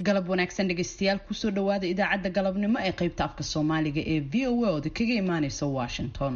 Galab wanaagsan dhegeystayaal, kusoo dhawaada idaacadda galabnimo ee qaybta afka Soomaaliga ee VOA ooda kaga imaaneysa Washington.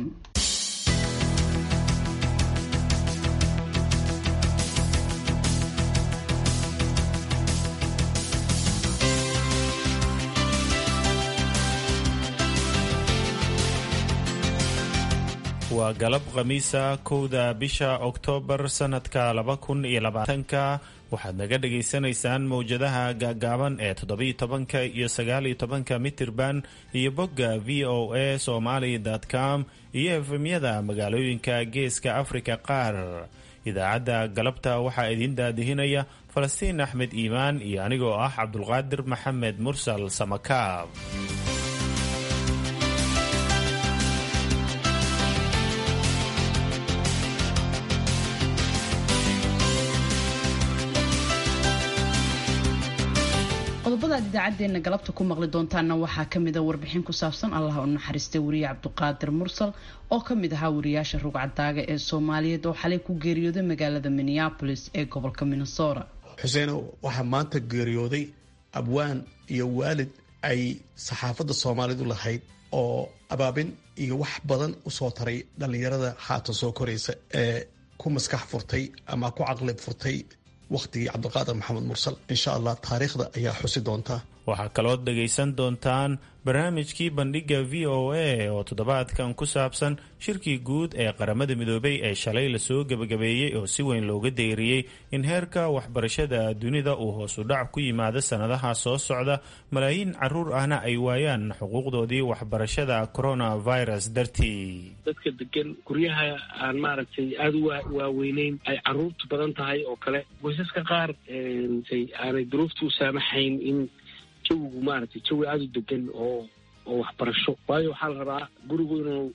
Waa galab Khamiisa, 1da bisha Oktoobar sanadka 2020-ka. Waxaad naga dhagaysanaysaan mowjadaha gaagaaban ee 17-ka iyo 19-ka mitirban iyo bogga voasomali.com iyo efemyada magaalooyinka Geeska Afrika qaar. Idaacadda galabta waxaa idiin daadihinaya Falastiin Axmed Iimaan iyo anigoo ah Cabdulqaadir Maxamed Mursal Samakaab. Qodobada aad idaacadeena galabta ku maqli doontaana waxaa kamida warbixin ku saabsan Allaha u naxariistay wariye Cabduqaadir Mursal oo kamid ahaa wariyaasha rugcadaaga ee Soomaaliyeed oo xalay ku geeriyooday magaalada Minneapolis ee gobolka Minnesota. Xuseenow, waxaa maanta geeriyooday abwaan iyo waalid ay saxaafadda Soomaalidu lahayd oo abaabin iyo wax badan usoo taray dhallinyarada haatan soo koraysa ee ku maskax furtay ama ku caqli furtay wakhtigii Cabdiqaadir Maxamed Mursal. Insha Allah taariikhda ayaa xusi doonta. Waxaa kalood dhagaysan doontaan barnaamijkii Bandhigga VOA oo toddobaadkan ku saabsan shirkii guud ee Qaramada Midoobay ee shalay lasoo gebagabeeyey oo si weyn looga deyriyey in heerka waxbarashada dunida uu hoos u dhac ku yimaado sannadaha soo socda, malaayiin caruur ahna ay waayaan xuquuqdoodii waxbarashada coronavirus dartii. Dadka degan guryaha aan maaragtay aada u waaweyneyn, ay caruurtu badan tahay oo kale, qoysaska qaar aanay duruuftu u saamaxayn in jawigu maaragtay jawi aada u degan oo waxbarasho, waayo waxaa la rabaa gurigu inuu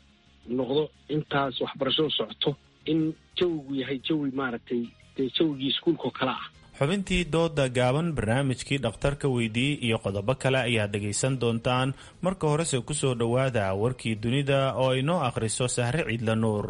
noqdo intaas waxbarashadu socoto in jawigu yahay jawi maaragtay dee jawigii iskuulka oo kale ah. Xubintii dooda gaaban, barnaamijkii dhakhtarka weydiiyey iyo qodobo kale ayaad dhagaysan doontaan. Marka horese kusoo dhowaada warkii dunida oo ay noo akhriso Sahre Ciidla Nuur.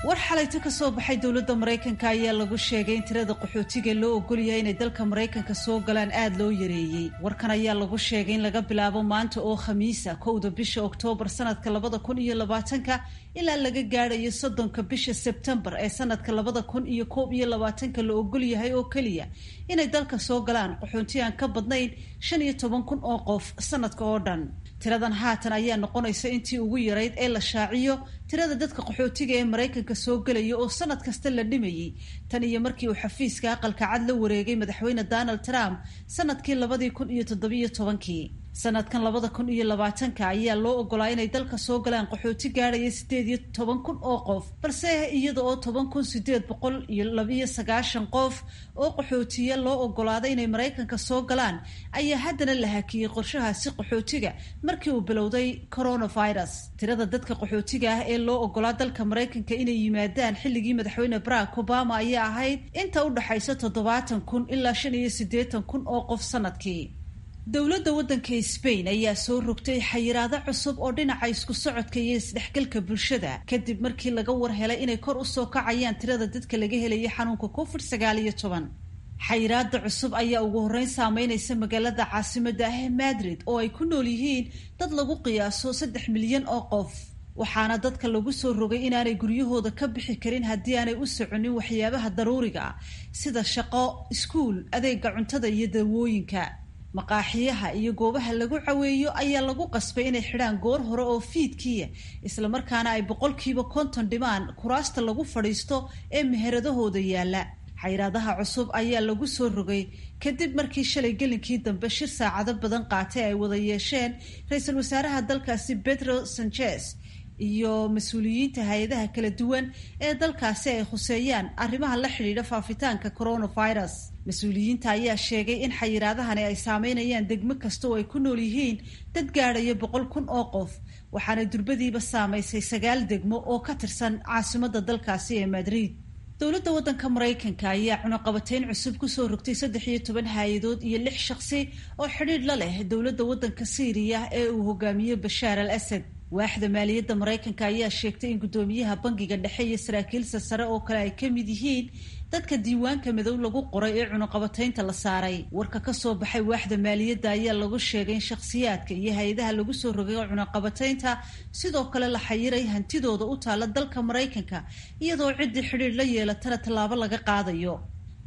War xalayto ka soo baxay dowladda Maraykanka ayaa lagu sheegay in tirada qaxootiga loo ogolyahay inay dalka Maraykanka soo galaan aada loo yareeyey. Warkan ayaa lagu sheegay in laga bilaabo maanta oo Khamiisa, 1da bisha Oktoobar sanadka 2020-ka ilaa laga gaadhayo 30-ka bisha Sebtembar ee sanadka 2021-ka la ogolyahay oo keliya inay dalka soo galaan qaxoonti aan ka badnayn 15,000 oo qof sanadka oo dhan. Tiradan haatan ayaa noqonaysa intii ugu yarayd ee la shaaciyo tirada dadka qaxootiga ee Maraykanka soo gelaya oo sanad kasta la dhimayay tan iyo markii uu xafiiska Aqalka Cad la wareegay madaxweyne Donald Trump sanadkii 2017-kii. Sanadkan 2020-ka ayaa loo ogolaa inay dalka soo galaan qaxooti gaadhaya 18,000 oo qof, balse iyada oo 10,892 qof oo qaxootiya loo ogolaaday inay Maraykanka soo galaan ayaa haddana la hakiyey qorshahaasi qaxootiga markii uu bilowday coronavirus. Tirada dadka qaxootiga ah ee loo ogolaa dalka Maraykanka inay yimaadaan xilligii madaxweyne Barack Obama ayaa ahayd inta u dhaxaysa 70,000 ilaa 85,000 oo qof sanadkii. Dowladda waddanka Spain ayaa soo rogtay xayiraado cusub oo dhinaca isku socodka iyo isdhexgalka bulshada kadib markii laga war helay inay kor usoo kacayaan tirada dadka laga helaya xanuunka COVID-19. Xayiraada cusub ayaa ugu horreyn saameynaysa magaalada caasimadda ah ee Madrid oo ay ku nool yihiin dad lagu qiyaaso 3 milyan oo qof, waxaana dadka lagu soo rogay inaanay guryahooda ka bixi karin haddii aanay u soconin waxyaabaha daruuriga ah sida shaqo, iskuul, adeega cuntada iyo dawooyinka. Maqaaxiyaha iyo goobaha lagu caweeyo ayaa lagu qasbay inay xidhaan goor hore oo fiidkiya, islamarkaana ay 50% dhimaan kuraasta lagu fadhiisto ee meheradahooda yaalla. Xayiraadaha cusub ayaa lagu soo rogay kadib markii shalay gelinkii dambe shir saacado badan qaatay ay wada yeesheen ra-iisul wasaaraha dalkaasi Pedro Sanchez iyo mas-uuliyiinta hay-adaha kala duwan ee dalkaasi ay khuseeyaan arrimaha la xidhiidha faafitaanka coronavirus. Mas-uuliyiinta ayaa sheegay in xayiraadahani ay saameynayaan degmo kasta oo ay ku nool yihiin dad gaadhaya 100,000 oo qof, waxaana durbadiiba saamaysay sagaal degmo oo ka tirsan caasimadda dalkaasi ee Madrid. Dowladda waddanka Maraykanka ayaa cunaqabateyn cusub kusoo rogtay 13 hay-adood iyo lix shaqsi oo xidhiidh la leh dowladda waddanka Siiriya ee uu hogaamiyo Bashaar al Asad. Waaxda maaliyadda Maraykanka ayaa sheegtay in guddoomiyaha bangiga dhexe iyo saraakiilsa sare oo kale ay ka mid yihiin dadka diiwaanka madow lagu qoray ee cunuqabataynta la saaray. Warka ka soo baxay waaxda maaliyadda ayaa lagu sheegay in shakhsiyaadka iyo hay-adaha lagu soo rogay cunaqabataynta sidoo kale la xayiray hantidooda u taala dalka Maraykanka, iyadoo ciddii xidhiidh la yeelatana tallaabo laga qaadayo.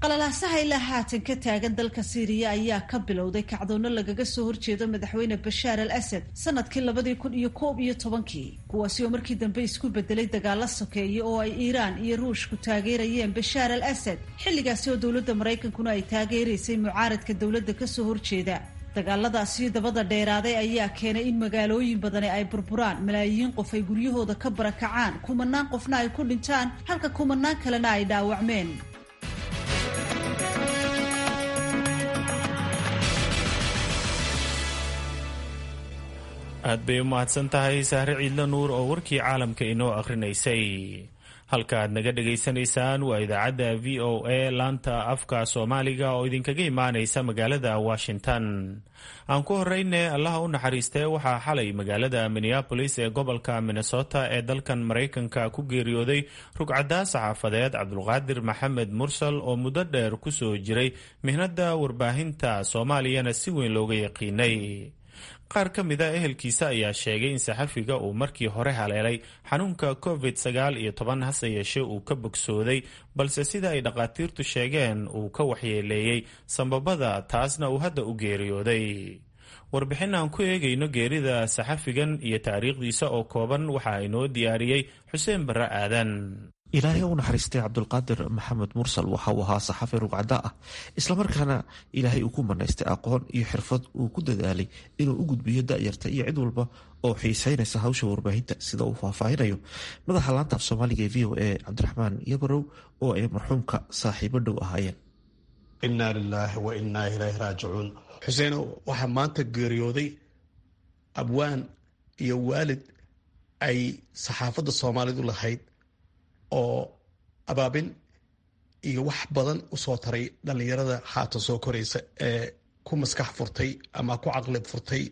Qalalaasaha ilaa haatan ka taagan dalka Siiriya ayaa ka bilowday kacdoonno lagaga soo horjeedo madaxweyne Bashaar al Asad sanadkii 2011-kii, kuwaasi oo markii dambe isku bedelay dagaalo sokeeye oo ay Iiraan iyo Ruushku taageerayeen Bashaar al Asad, xilligaasi oo dowladda Maraykankuna ay taageeraysay mucaaradka dowladda kasoo horjeeda. Dagaaladaasi dabada dheeraaday ayaa keenay in magaalooyin badani ay burburaan, malaayiin qof ay guryahooda ka barakacaan, kumanaan qofna ay ku dhintaan, halka kumanaan kalena ay dhaawacmeen. Aad bay u mahadsan tahay Sahre Ciidla Nuur oo warkii caalamka inoo akhrinaysay. Halka aad naga dhagaysanaysaan waa idaacadda VOA laanta afka Soomaaliga oo idinkaga imaanaysa magaalada Washington. Aan ku horeyne, Allaha u naxariistee, waxaa xalay magaalada Minneapolis ee gobolka Minnesota ee dalkan Maraykanka ku geeriyooday rugcaddaa saxaafadeed Cabdulqaadir Maxamed Mursal oo muddo dheer ku soo jiray mihnada warbaahinta Soomaaliyana si weyn looga yaqiinay. Qaar ka mid a ehelkiisa ayaa sheegay in saxafiga uu markii hore haleelay xanuunka COVID-19, hase yeeshee uu ka bogsooday, balse sida ay dhakhaatiirtu sheegeen uu ka waxyeeleeyey sambabada, taasna uu hadda u geeriyooday. Warbixin aan ku eegayno geerida saxafigan iyo taariikhdiisa oo kooban waxaa inoo diyaariyey Xuseen Barre Aadan. Ilaahay u naxariistay Cabdulqaadir Maxamed Mursal waxa uu ahaa saxafi rugcada ah, islamarkaana Ilaahay uu ku manaystay aqoon iyo xirfad uu ku dadaalay inuu u gudbiyo da'yarta iyo cid walba oo xiiseynaysa hawsha warbaahinta, sida uu faahfaahinayo madaxa laanta af Soomaaliga ee VOA Cabdiraxmaan Yabarow oo ay marxuumka saaxiibo dhow ahaayeen. Innaa lilaahi wa innaa ilayhi raajicuun. Xuseenow, waxaa maanta geeriyooday abwaan iyo waalid ay saxaafadda Soomaalidu lahayd oo abaabin iyo wax badan u soo taray dhallinyarada haatan soo koraysa ee ku maskax furtay ama ku caqli furtay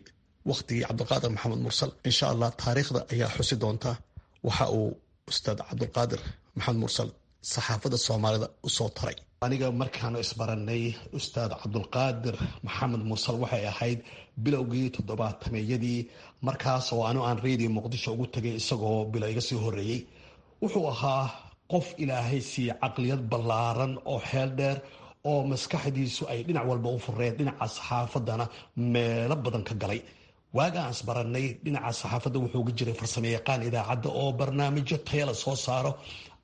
wakhtigii Cabdulqaadir Maxamed Mursal. Insha Allah taariikhda ayaa xusi doonta waxa uu Ustaad Cabdulqaadir Maxamed Mursal saxaafadda Soomaalida u soo taray. Aniga markaanu isbaranay Ustaad Cabdulqaadir Maxamed Mursal waxay ahayd bilowgii toddobaatameyadii, markaas oo anu aan Radio Muqdisho ugu tegay isagoo bilo iga sii horeeyey. Wuxuu ahaa qof Ilaahay siiye caqliyad ballaaran oo xeel dheer oo maskaxdiisu ay dhinac walba u fureen, dhinaca saxaafaddana meelo badan ka galay. Waaga aan isbaranay dhinaca saxaafadda wuxuu ga jiray farsamayaqaan idaacadda oo barnaamijyo tayala soo saaro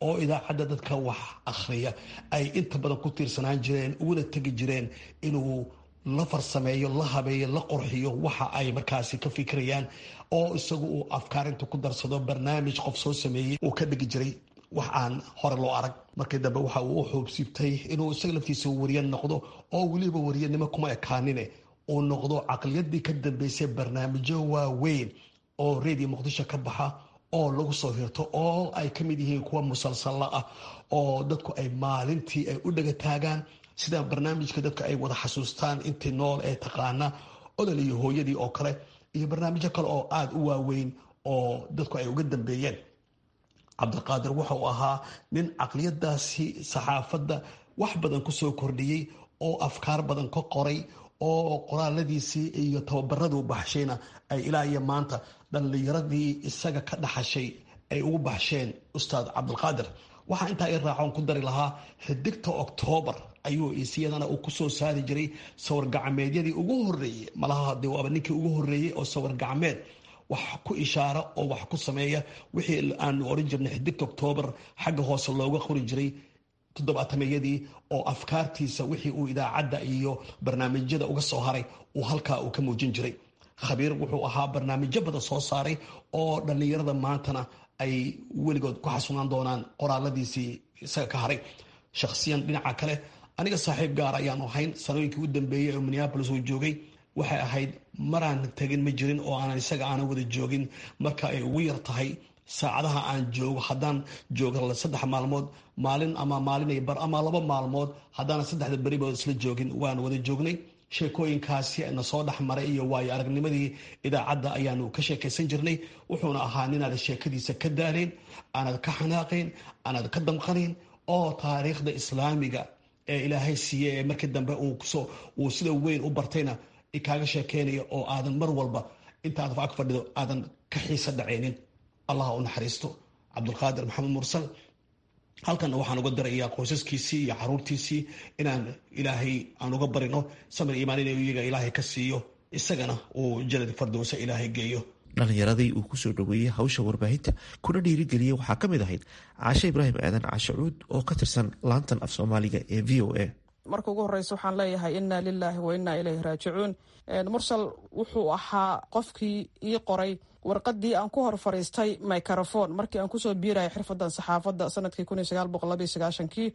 oo idaacadda dadka wax akhriya ay inta badan ku tiirsanaan jireen, uguna tegi jireen inuu la farsameeyo, la habeeyo, la qurxiyo waxa ay markaasi ka fikirayaan, oo isagu uu afkaarinta ku darsado barnaamij qof soo sameeyey uu ka dhigi jiray wax aan hore loo arag. Markii dambe waxa uu u xuubsiibtay inuu isaga laftiisa wariye noqdo, oo weliba wariyanimo kuma ekaanine uu noqdo caqliyadii ka dambeysay barnaamijyo waaweyn oo Radio Muqdisho ka baxa oo lagu soo hirto, oo ay ka mid yihiin kuwa musalsalla ah oo dadku ay maalintii ay u dhaga taagaan, sida barnaamijka dadka ay wada xasuustaan intii nool ee taqaana Olol iyo Hooyadii oo kale, iyo barnaamijyo kale oo aada u waaweyn oo dadku ay uga dambeeyeen. Cabdiqaadir wuxuu ahaa nin caqliyadaasi saxaafadda wax badan kusoo kordhiyey oo afkaar badan ka qoray, oo qoraaladiisii iyo tababaraduu baxshayna ay ilaa iyo maanta dhallinyaradii isaga ka dhaxashay ay ugu baxsheen Ustaad Cabdulqaadir. Waxaa intaa i raacoon ku dari lahaa Xidigta Oktoobar ayuu isiyadana uu kusoo saari jiray sawir gacmeedyadii ugu horeeyey. Malaha dee waaba ninkii ugu horeeyey oo sawir gacmeed wax ku ishaara oo wax ku sameeya, wixii aanu oran jirnay Xidigta Oktoobar xagga hoose looga qori jiray toddobaatameyadii, oo afkaartiisa wixii uu idaacadda iyo barnaamijyada uga soo haray uu halkaa uu ka muujin jiray. Khabiir wuxuu ahaa barnaamijyo badan soo saaray oo dhallinyarada maantana ay weligood ku xasunaan doonaan qoraaladiisii isaga ka haray. Shakhsiyan dhinaca kale aniga saaxiib gaar ayaanu ahayn. Sanooyinkii u dambeeyey oo Minneapolis uu joogay waxay ahayd maraan tegin ma jirin oo aanan isaga aanan wada joogin. Marka ay ugu yar tahay saacadaha aan joogo, haddaan joogo 3 maalmood, maalin ama maalin bar ama 2 maalmood, haddaanan saddexda beribood isla joogin, waan wada joognay. Sheekooyinkaasi na soo dhexmaray iyo waayo aragnimadii idaacadda ayaanu ka sheekaysan jirnay. Wuxuuna ahaa ninaad sheekadiisa ka daalayn, aanad ka xanaaqayn, aanad ka damqanayn, oo taariikhda islaamiga ee Ilaahay siiye ee markii dambe uu sida weyn u bartayna kaaga sheekeynaya, oo aadan mar walba intaad ag fadhido aadan ka xiisa dhacaynin. Allah u naxariisto Cabdulqaadir Maxamed Mursal. Halkanna waxaan uga dirayaa qoysaskiisii iyo caruurtiisii inaan Ilaahay aan uga barino samir iimaan in iyaga Ilaahay ka siiyo, isagana uu janad fardowsa Ilaahay geeyo. Dhalinyaradii uu kusoo dhaweeyey hawsha warbaahinta kuna dhiirigeliyey waxaa ka mid ahayd Caashe Ibraahim Aadan, Caashe Cuud, oo ka tirsan laantan af Soomaaliga ee VOA. Marka ugu horeysa waxaan leeyahay inna lilaahi wa innaa ilayhi raajicuun. Mursal wuxuu ahaa qofkii ii qoray warqadii aan ku hor fariistay microphone markii aan kusoo biirayay xirfadan saxaafadda sanadkii 1992-kii.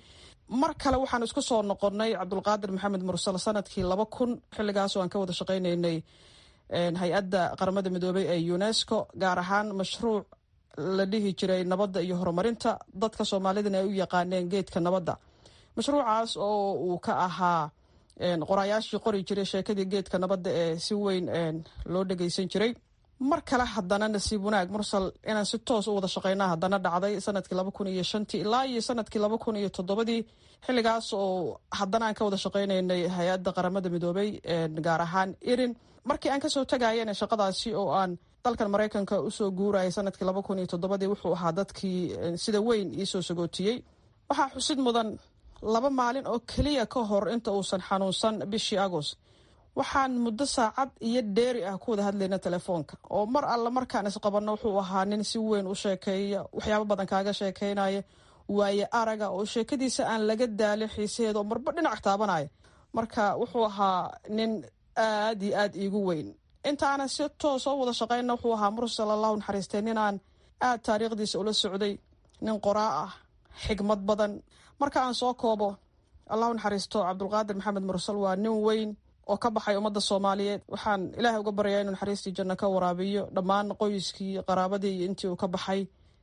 Mar kale waxaan isku soo noqonnay Cabdulqaadir Maxamed Mursal sanadkii 2000, xilligaasoo aan ka wada shaqaynaynay hay-adda Qaramada Midoobay ee UNESCO, gaar ahaan mashruuc la dhihi jiray nabadda iyo horumarinta, dadka Soomaalidana ay u yaqaaneen geedka nabadda. Mashruucaas oo uu ka ahaa qoraayaashii qori jiray sheekadii geedka nabadda ee si weyn loo dhageysan jiray. Mar kale haddana nasiib wanaag Mursal inaan si toos u wada shaqeynaa haddana dhacday sanadkii 2005-tii ilaa iyo sanadkii 2007-dii, xilligaas oo haddana aan ka wada shaqeynaynay hay-adda Qaramada Midoobay, gaar ahaan IRIN. Markii aan kasoo tagayana shaqadaasi oo aan dalkan Maraykanka usoo guurayay sanadkii 2007-dii, wuxuu ahaa dadkii sida weyn iisoo sagootiyey. Waxaa xusid mudan 2 maalin oo keliya ka hor inta uusan xanuunsan bishii Agost, waxaan muddo saacad iyo dheeri ah ku wada hadlayna telefoonka, oo mar alle markaan isqabanno wuxuu ahaa nin si weyn u sheekeeya, waxyaabo badan kaaga sheekeynaya, waaye araga oo sheekadiisa aan laga daalin xiisaheeda, oo marba dhinac taabanaya. Marka wuxuu ahaa nin aad iyo aad iigu weyn. Intaanan si toos oo wada shaqeyna wuxuu ahaa Mursal, Allahu naxariistay, ninaan aad taariikhdiisa ula socday, nin qoraa ah, xigmad badan. Marka aan soo koobo, Allahu naxariisto Cabdulqaadir Maxamed Mursal, waa nin weyn oo ka baxay ummadda Soomaaliyeed. Waxaan Ilaahay uga baryaa inuu naxariistii janno ka waraabiyo, dhammaan qoyskii, qaraabadii iyo intii uu ka baxay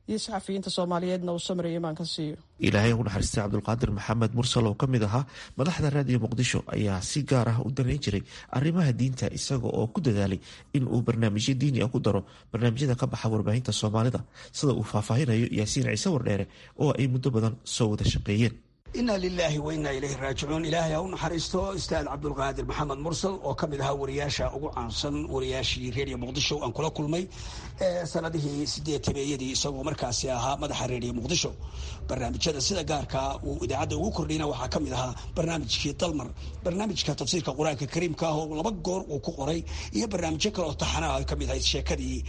iyo saxafiyiinta Soomaaliyeedna uu samriyo imaan ka siiyo. Ilaahay u naxariistay Cabdulqaadir Maxamed Mursal oo ka mid ahaa madaxda Raadiyo Muqdisho ayaa si gaar ah u danayn jiray arrimaha diinta, isaga oo ku dadaalay in uu barnaamijyo diini ah ku daro barnaamijyada ka baxa warbaahinta Soomaalida, sida uu faahfaahinayo Yaasiin Ciise Wardheere oo ay muddo badan soo wada shaqeeyeen. Inna lilaahi wa innaa ilayhi raajicuun. Ilaahay ha u naxariisto Ustaad Cabdulqaadir Maxamed Mursal oo ka mid ahaa wariyaasha ugu caansan wariyaashii Reediyo Muqdisho aan kula kulmay sanadihii 80-meeyadii, isagoo markaasi ahaa madaxa Reediyo Muqdisho. Barnaamijyada sida gaarkaa uu idaacadda ugu kordhiyna waxaa ka mid ahaa barnaamijkii Dalmar, barnaamijka tafsiirka Qur-aanka Kariimka ah oo 2 goor uu ku qoray, iyo barnaamijyo kale oo taxanaha ay ka mid ahayd sheekadii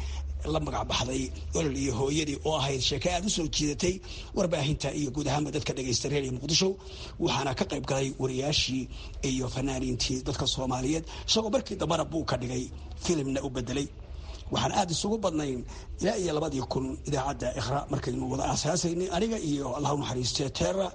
la magac baxday Olol iyo Hooyadii, oo ahayd sheeke aada u soo jiidatay warbaahinta iyo guud ahaanba dadka dhegaysta Reediyo Muqdisho. Waxaana ka qayb galay wariyaashii iyo fanaaniintii dadka Soomaaliyeed, isagoo markii dambana buu ka dhigay filimna u bedelay. Waxaan aada isugu badnayn ilaa iyo 2000 idaacadda Iqra markaynu wada aasaasaynay, aniga iyo Allah u naxariiste Terra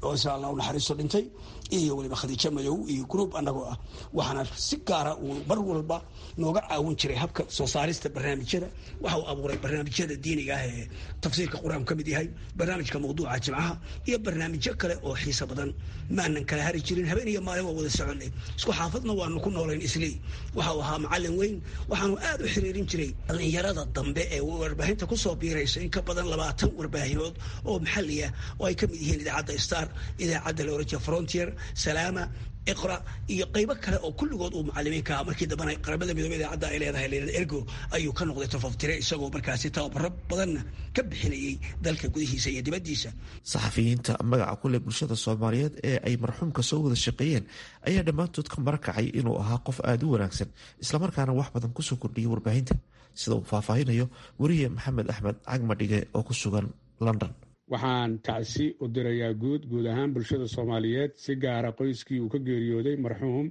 oo isla Allah u naxariisto dhintay, iyo weliba Khadiijo Madow iyo group annagoo ah. Waxaana si gaara uu mar walba nooga caawin jiray habka soo saarista barnaamijyada. Waxa uu abuuray barnaamijyada diiniga ah ee tafsiirka Qur-aanku ka mid yahay, barnaamijka mawduuca Jimcaha iyo barnaamijyo kale oo xiiso badan. Maanan kala hari jirin, habeen iyo maalin waa wada soconay, isku xaafadna waanu ku noolayn islii. Waxa uu ahaa macallin weyn. Waxaanu aada u xiriirin jiray dhalinyarada dambe ee warbaahinta kusoo biiraysa, in ka badan 20 warbaahinood oo maxalli ah oo ay ka mid yihiin idaacadda Star, idaacadda la Frontier, Salaama, Iqra iyo qaybo kale oo kulligood uu macalimiinka ahaa. Markii dambena Qaramada Midoobey idaacadda ay leedahay leelada Ergo ayuu ka noqday tafaftire, isagoo markaasi tababaro badanna ka bixinayay dalka gudihiisa iyo dibaddiisa. Saxafiyiinta magaca ku leh bulshada Soomaaliyeed ee ay marxuumka soo wada shaqeeyeen ayaa dhammaantood ka marakacay inuu ahaa qof aada u wanaagsan, islamarkaana wax badan kusoo kordhiyay warbaahinta, sida uu faahfaahinayo weriye Maxamed Axmed Cagmadhige oo ku sugan London. Waxaan tacsi u dirayaa guud ahaan bulshada Soomaaliyeed, si gaara qoyskii uu ka geeriyooday marxuum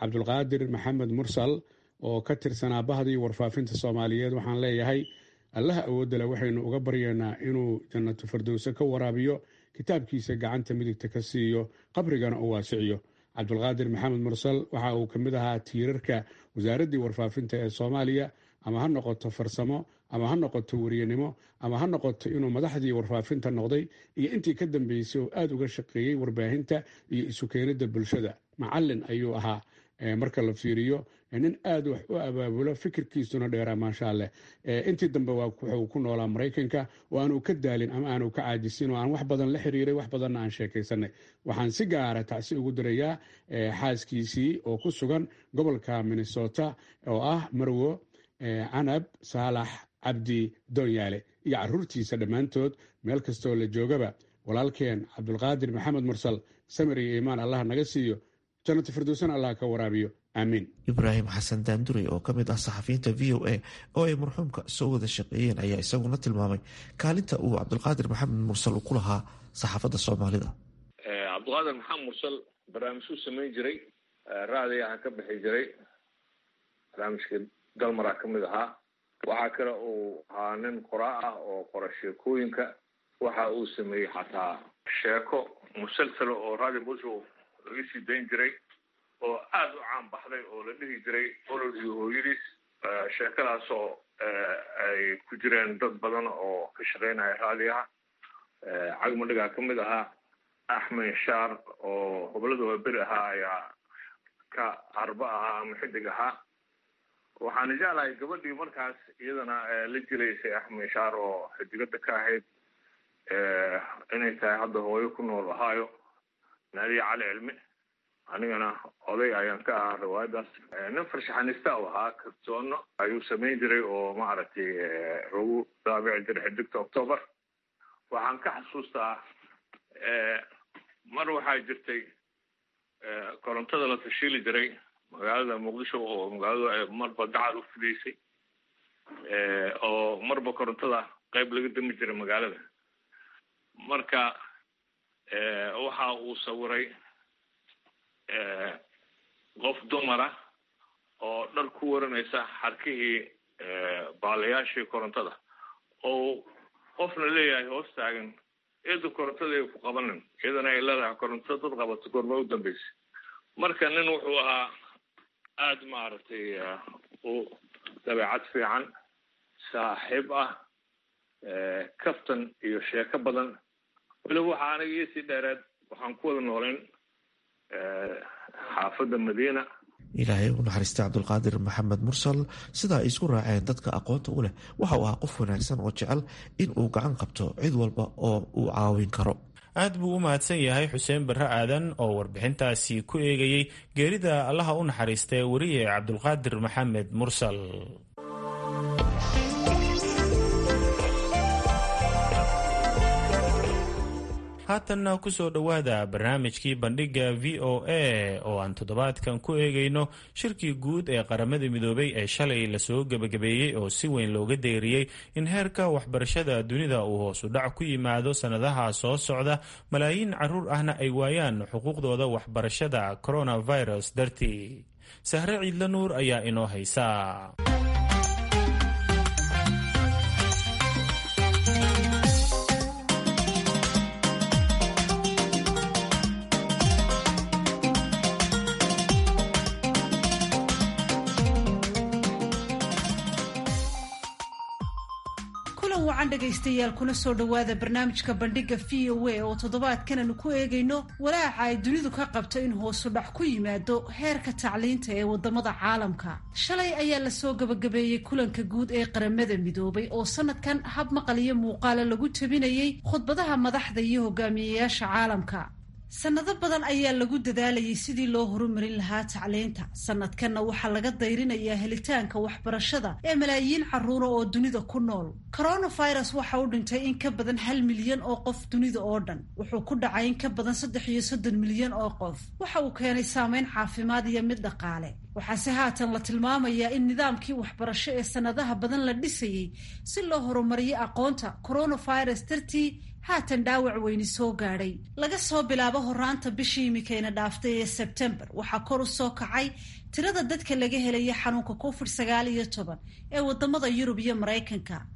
Cabdulqaadir Maxamed Mursal oo ka tirsanaa bahdii warfaafinta Soomaaliyeed. Waxaan leeyahay Allaha awoodale waxaynu uga baryaynaa inuu jannatu fardowse ka waraabiyo, kitaabkiisa gacanta midigta ka siiyo, qabrigana u waasiciyo. Cabdulqaadir Maxamed Mursal waxa uu ka mid ahaa tiirarka wasaaraddii warfaafinta ee Soomaaliya, ama ha noqoto farsamo, ama ha noqoto weriyanimo, ama ha noqoto inuu madaxdii warfaafinta noqday iyo intii ka dambeysay oo aada uga shaqeeyey warbaahinta iyo isu keenidda bulshada. Macallin ayuu ahaa. Marka la fiiriyo, nin aada wax u abaabulo, fikirkiisuna dheeraa, maasha alleh. Intii dambe wuxuu ku noolaa Maraykanka oo aanu ka daalin ama aanu ka caajisin, oo aan wax badan la xiriiray, wax badanna aan sheekaysanay. Waxaan si gaara tacsi ugu dirayaa xaaskiisii oo ku sugan gobolka Minnesota, oo ah Marwo Canab Saalax Cabdi Doonyaale, iyo caruurtiisa dhammaantood meel kastoo la joogaba. Walaalkeen Cabdulqaadir Maxamed Mursal, samir iyo iimaan Allah naga siiyo, jannatu firdowsana Allah ka waraabiyo, aamiin. Ibraahim Xasan Daandurey oo ka mid ah saxafiyiinta VOA oo ay marxuumka soo wada shaqeeyeen ayaa isaguna tilmaamay kaalinta uu Cabdulqaadir Maxamed Mursal ku lahaa saxaafadda Soomaalida. Cabdulqaadir Maxamed Mursal barnaamijuu samayn jiray, raadiyaha ka bixi jiray, barnaamijkii Dalmaraa ka mid ahaa. Waxaa kale uu ahaa nin qoraa ah oo qora sheekooyinka. Waxa uu sameeyey xataa sheeko musalsalo oo Radio Muqdisho laga sii dayn jiray oo aada u caan baxday, oo la dhihi jiray Olol iyo Hooyadiis. Sheekadaasoo ay ku jireen dad badan oo ka shaqeynaya raadiyaha, Cagmadhigaa ka mid ahaa, Axmed Shaar oo hoblada Waaberi ahaa ayaa ka arba ahaa ama xidig ahaa. Waxaana jeclahay gabadhii markaas iyadana la jilaysay Axmed Shaar oo xidigada ka ahayd inay tahay hadda hooyo ku nool Ohio, Naadiya Cali Cilmi. Anigana oday ayaan ka ahaa riwaayadaas. Nin farshaxanista u ahaa, kartoono ayuu samayn jiray oo maaragtay lagu daabici jiray Xidigta Octoobar. Waxaan ka xasuustaa mar waxaa jirtay korontada la tashiili jiray magaalada Muqdisho, oo magaaladu ay marba gacal u fidaysay, oo marba korontada qayb laga dami jiray magaalada. Marka waxa uu sawiray qof dumara oo dhar ku waranaysa xarkihii baalayaashii korontada, oo qofna leeyahay hoos taagan, "Eedu, korontada ay ku qabanin," iyadana ay leedahay, "Koronto dad qabato goorma u dambeysay?" Marka nin wuxuu ahaa aada maaragtay u dabeecad fiican, saaxiib ah, kaftan iyo sheeko badan. Weliba waxaa aniga iisii dheereed, waxaan ku wada nooleen xaafadda Madiina. Ilaahay u naxariistay Cabdulqaadir Maxamed Mursal. Sidaa ay isku raaceen dadka aqoonta u leh, waxa uu ahaa qof wanaagsan oo jecel in uu gacan qabto cid walba oo uu caawin karo. Aad buu u mahadsan yahay Xuseen Barre Aadan oo warbixintaasi ku eegayey geerida Allaha u naxariistay weriye Cabdulqaadir Maxamed Mursal. Haatanna kusoo dhowaada barnaamijkii Bandhigga VOA oo aan toddobaadkan ku eegayno shirkii guud ee Qaramada Midoobay ee shalay lasoo gebagabeeyey, oo si weyn looga deeriyey in heerka waxbarashada dunida uu hoos u dhac ku yimaado sannadaha soo socda, malaayiin caruur ahna ay waayaan xuquuqdooda waxbarashada coronavirus dartii. Sahre Ciidla Nuur ayaa inoo haysa. Dhegaystayaal, kuna soo dhowaada barnaamijka Bandhigga VOA oo toddobaadkan aanu ku eegayno walaaca ay dunidu ka qabto in hoosu dhac ku yimaado heerka tacliinta ee wadamada caalamka. Shalay ayaa lasoo gabagabeeyey kulanka guud ee Qaramada Midoobay oo sanadkan hab maqal iyo muuqaala lagu tabinayey khudbadaha madaxda iyo hogaamiyeyaasha caalamka. Sanado badan ayaa lagu dadaalayay sidii loo horumarin lahaa tacliinta. Sanadkanna waxaa laga dayrinayaa helitaanka waxbarashada ee malaayiin caruura oo dunida ku nool. Coronavirus waxa u dhintay in ka badan 1 milyan oo qof dunida oo dhan. Wuxuu ku dhacay in ka badan 33 milyan oo qof. Waxa uu keenay saameyn caafimaad iyo mid dhaqaale. Waxaase haatan la tilmaamayaa in nidaamkii waxbarasho ee sanadaha badan la dhisayey si loo horumariyo aqoonta, coronavirus dartii haatan dhaawac weyni soo gaadhay. Laga soo bilaabo horaanta bishii imikayna dhaaftay ee Sebtembar, waxaa kor u soo kacay tirada dadka laga helaya xanuunka COVID-19 ee wadamada Yurub iyo Maraykanka.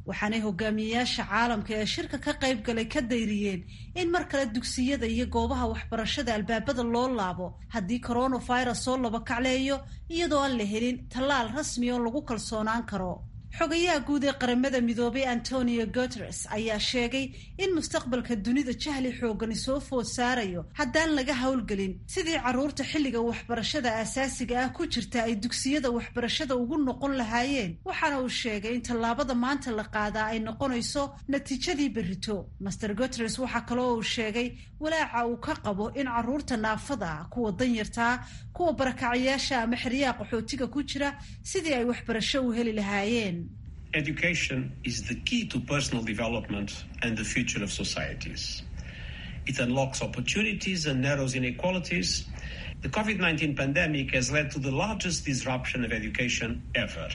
Waxaanay hogaamiyeyaasha caalamka ee shirka ka qayb galay ka dayriyeen in mar kale dugsiyada iyo goobaha waxbarashada albaabada loo laabo haddii coronavirus soo laba kacleeyo, iyadoo aan la helin tallaal rasmi oo lagu kalsoonaan karo. Xogayaha guud ee Qaramada Midoobay Antonio Guteres ayaa sheegay in mustaqbalka dunida jahli xoogani soo food saarayo haddaan laga howlgelin sidii carruurta xilliga waxbarashada aasaasiga ah ku jirta ay dugsiyada waxbarashada ugu noqon lahaayeen. Waxaana uu sheegay in tallaabada maanta la qaadaa ay noqonayso natiijadii berrito. Master Guteres waxaa kaloo uu sheegay walaaca uu ka qabo in carruurta naafada, kuwa danyartaa, kuwa barakacayaasha ama xeryaha qaxootiga ku jira sidii ay waxbarasho u heli lahaayeen. Education is the key to personal development and the future of societies. It unlocks opportunities and narrows inequalities. The COVID-19 pandemic has led to the largest disruption of education ever.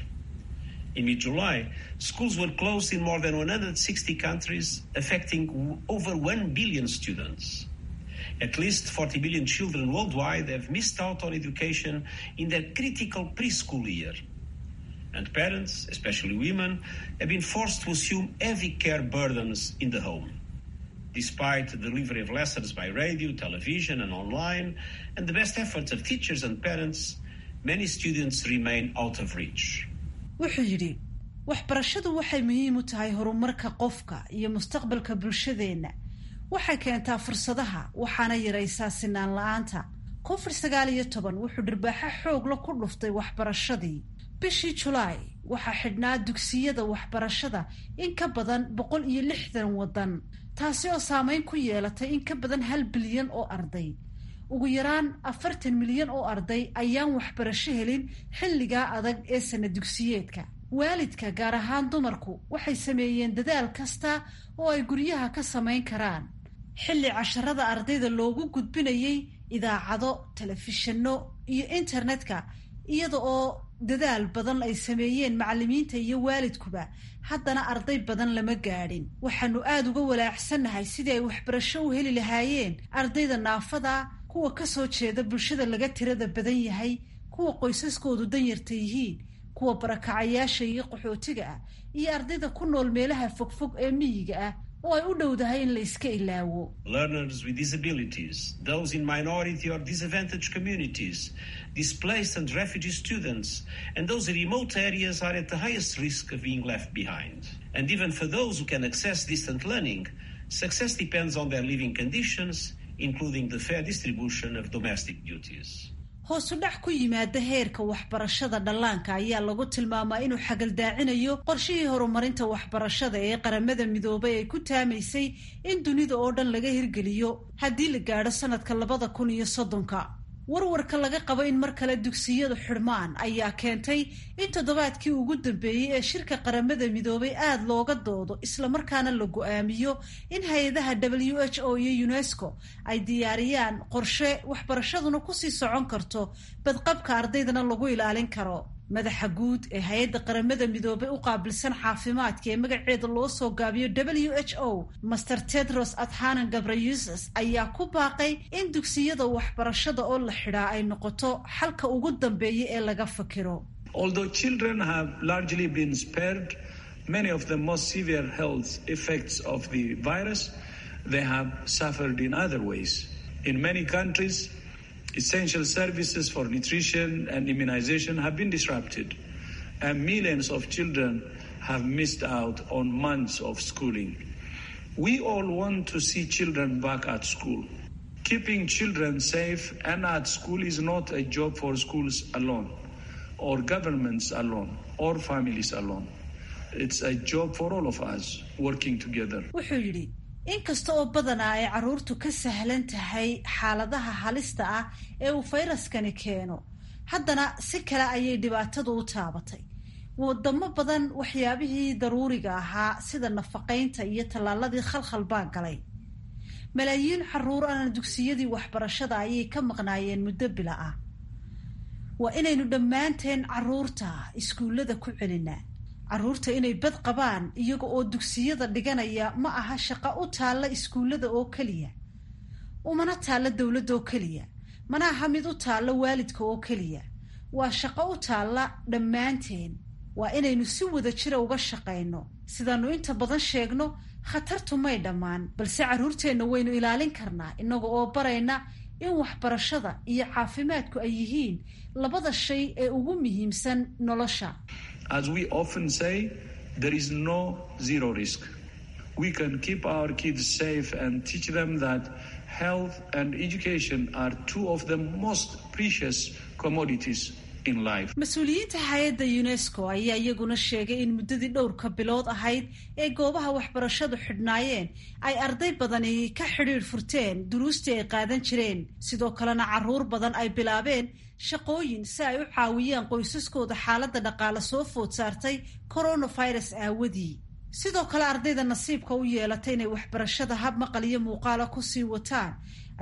In mid-July, schools were closed in more than 160 countries, affecting over 1 billion students. At least 40 million children worldwide have missed out on education in their critical preschool year. And parents, especially women, have been forced to assume heavy care burdens in the home. Despite the delivery of lessons by radio, television, and online, and the best efforts of teachers and parents, many students remain out of reach. Wuxuu yidhi, waxbarashadu waxay muhiim u tahay horumarka qofka iyo mustaqbalka bulshadeenna. Waxay keentaa fursadaha, waxaana yaraysaa sinaan la-aanta. COVID-19 wuxuu dhirbaaxo xoogla ku dhuftay waxbarashadii. Bishii Julaay waxaa xidhnaa dugsiyada waxbarashada in ka badan 160 waddan, taasi oo saameyn ku yeelatay in ka badan 1 bilyan oo arday. Ugu yaraan 40 milyan oo arday ayaan waxbarasho helin xilligaa adag ee sana dugsiyeedka. Waalidka, gaar ahaan dumarku, waxay sameeyeen dadaal kasta oo ay guryaha ka samayn karaan, xilli casharada ardayda loogu gudbinayay idaacado, telefishinno iyo internetka. Iyada oo dadaal badan ay sameeyeen macallimiinta iyo waalidkuba, haddana arday badan lama gaadhin. Waxaanu aada uga walaacsannahay sidii ay waxbarasho u heli lahaayeen ardayda naafada, kuwa ka soo jeeda bulshada laga tirada badan yahay, kuwa qoysaskoodu danyarta yihiin, kuwa barakacayaasha iyo qaxootiga ah, iyo ardayda ku nool meelaha fogfog ee miyiga ah oo ay u dhowdahay in la iska ilaawo. Learners with disabilities, those in minority or disadvantaged communities, displaced and refugee students, and those in remote areas are at the highest risk of being left behind. And even for those who can access distant learning, success depends on their living conditions, including the fair distribution of domestic duties. Hoosu dhac ku yimaada heerka waxbarashada dhallaanka ayaa lagu tilmaamaa inuu xagaldaacinayo qorshihii horumarinta waxbarashada ee Qaramada Midoobay ay ku taamaysay in dunida oo dhan laga hirgeliyo haddii la gaadho sanadka 2030-ka. Warwarka laga qabo in mar kale dugsiyadu xidhmaan ayaa keentay in toddobaadkii ugu dambeeyey ee shirka Qaramada Midoobay aada looga doodo, islamarkaana la go-aamiyo in hay-adaha WHO iyo UNESCO ay diyaariyaan qorshe waxbarashaduna kusii socon karto, badqabka ardaydana lagu ilaalin karo. Madaxa guud ee hay-adda Qaramada Midoobay u qaabilsan caafimaadka ee magaceeda loo soo gaabiyo WHO, Master Tedros Adhanom Ghebreyesus, ayaa ku baaqay in dugsiyada waxbarashada oo la xidhaa ay noqoto xalka ugu dambeeya ee laga fakiro. Although children have largely been spared many of the most severe health effects of the virus, they have suffered in other ways. In many countries, essential services for nutrition and immunization have been disrupted, and millions of children have missed out on months of schooling. We all want to see children back at school. Keeping children safe and at school is not a job for schools alone, or governments alone, or families alone. It's a job for all of us working together. Wuxuu yidhi, inkasta oo badanaa ay carruurtu ka sahlan tahay xaaladaha halista ah ee uu fayraskani keeno, haddana si kale ayay dhibaatadu u taabatay. Wadamo badan waxyaabihii daruuriga ahaa sida nafaqaynta iyo tallaaladii khalkhal baa galay. Malaayiin carruur ahna dugsiyadii waxbarashada ayay ka maqnaayeen muddo bila ah. Waa inaynu dhammaanteen carruurta iskuullada ku celinaa. Carruurta inay bad qabaan iyaga oo dugsiyada dhiganaya ma aha shaqo u taalla iskuullada oo keliya, umana taalla dowladda oo keliya, mana aha mid u taalla waalidka oo keliya. Waa shaqo u taalla dhammaanteen. Waa inaynu si wada jira uga shaqayno. Sidaannu inta badan sheegno, khatartu may dhammaan, balse carruurteenna waynu ilaalin karnaa innaga oo barayna in waxbarashada iyo caafimaadku ay yihiin labada shay ee ugu muhiimsan nolosha. As we often say, there is no zero risk. We can keep our kids safe and teach them that health and education are two of the most precious commodities. Mas-uuliyiinta hay-adda UNESCO ayaa iyaguna sheegay in muddadii dhowrka bilood ahayd ee goobaha waxbarashadu xidhnaayeen ay arday badani ka xidhiidh furteen duruustii ay qaadan jireen, sidoo kalena carruur badan ay bilaabeen shaqooyin si ay u caawiyaan qoysaskooda xaaladda dhaqaale soo food saartay coronavirus aawadii. Sidoo kale ardayda nasiibka u yeelatay inay waxbarashada hab maqal iyo muuqaala kusii wataan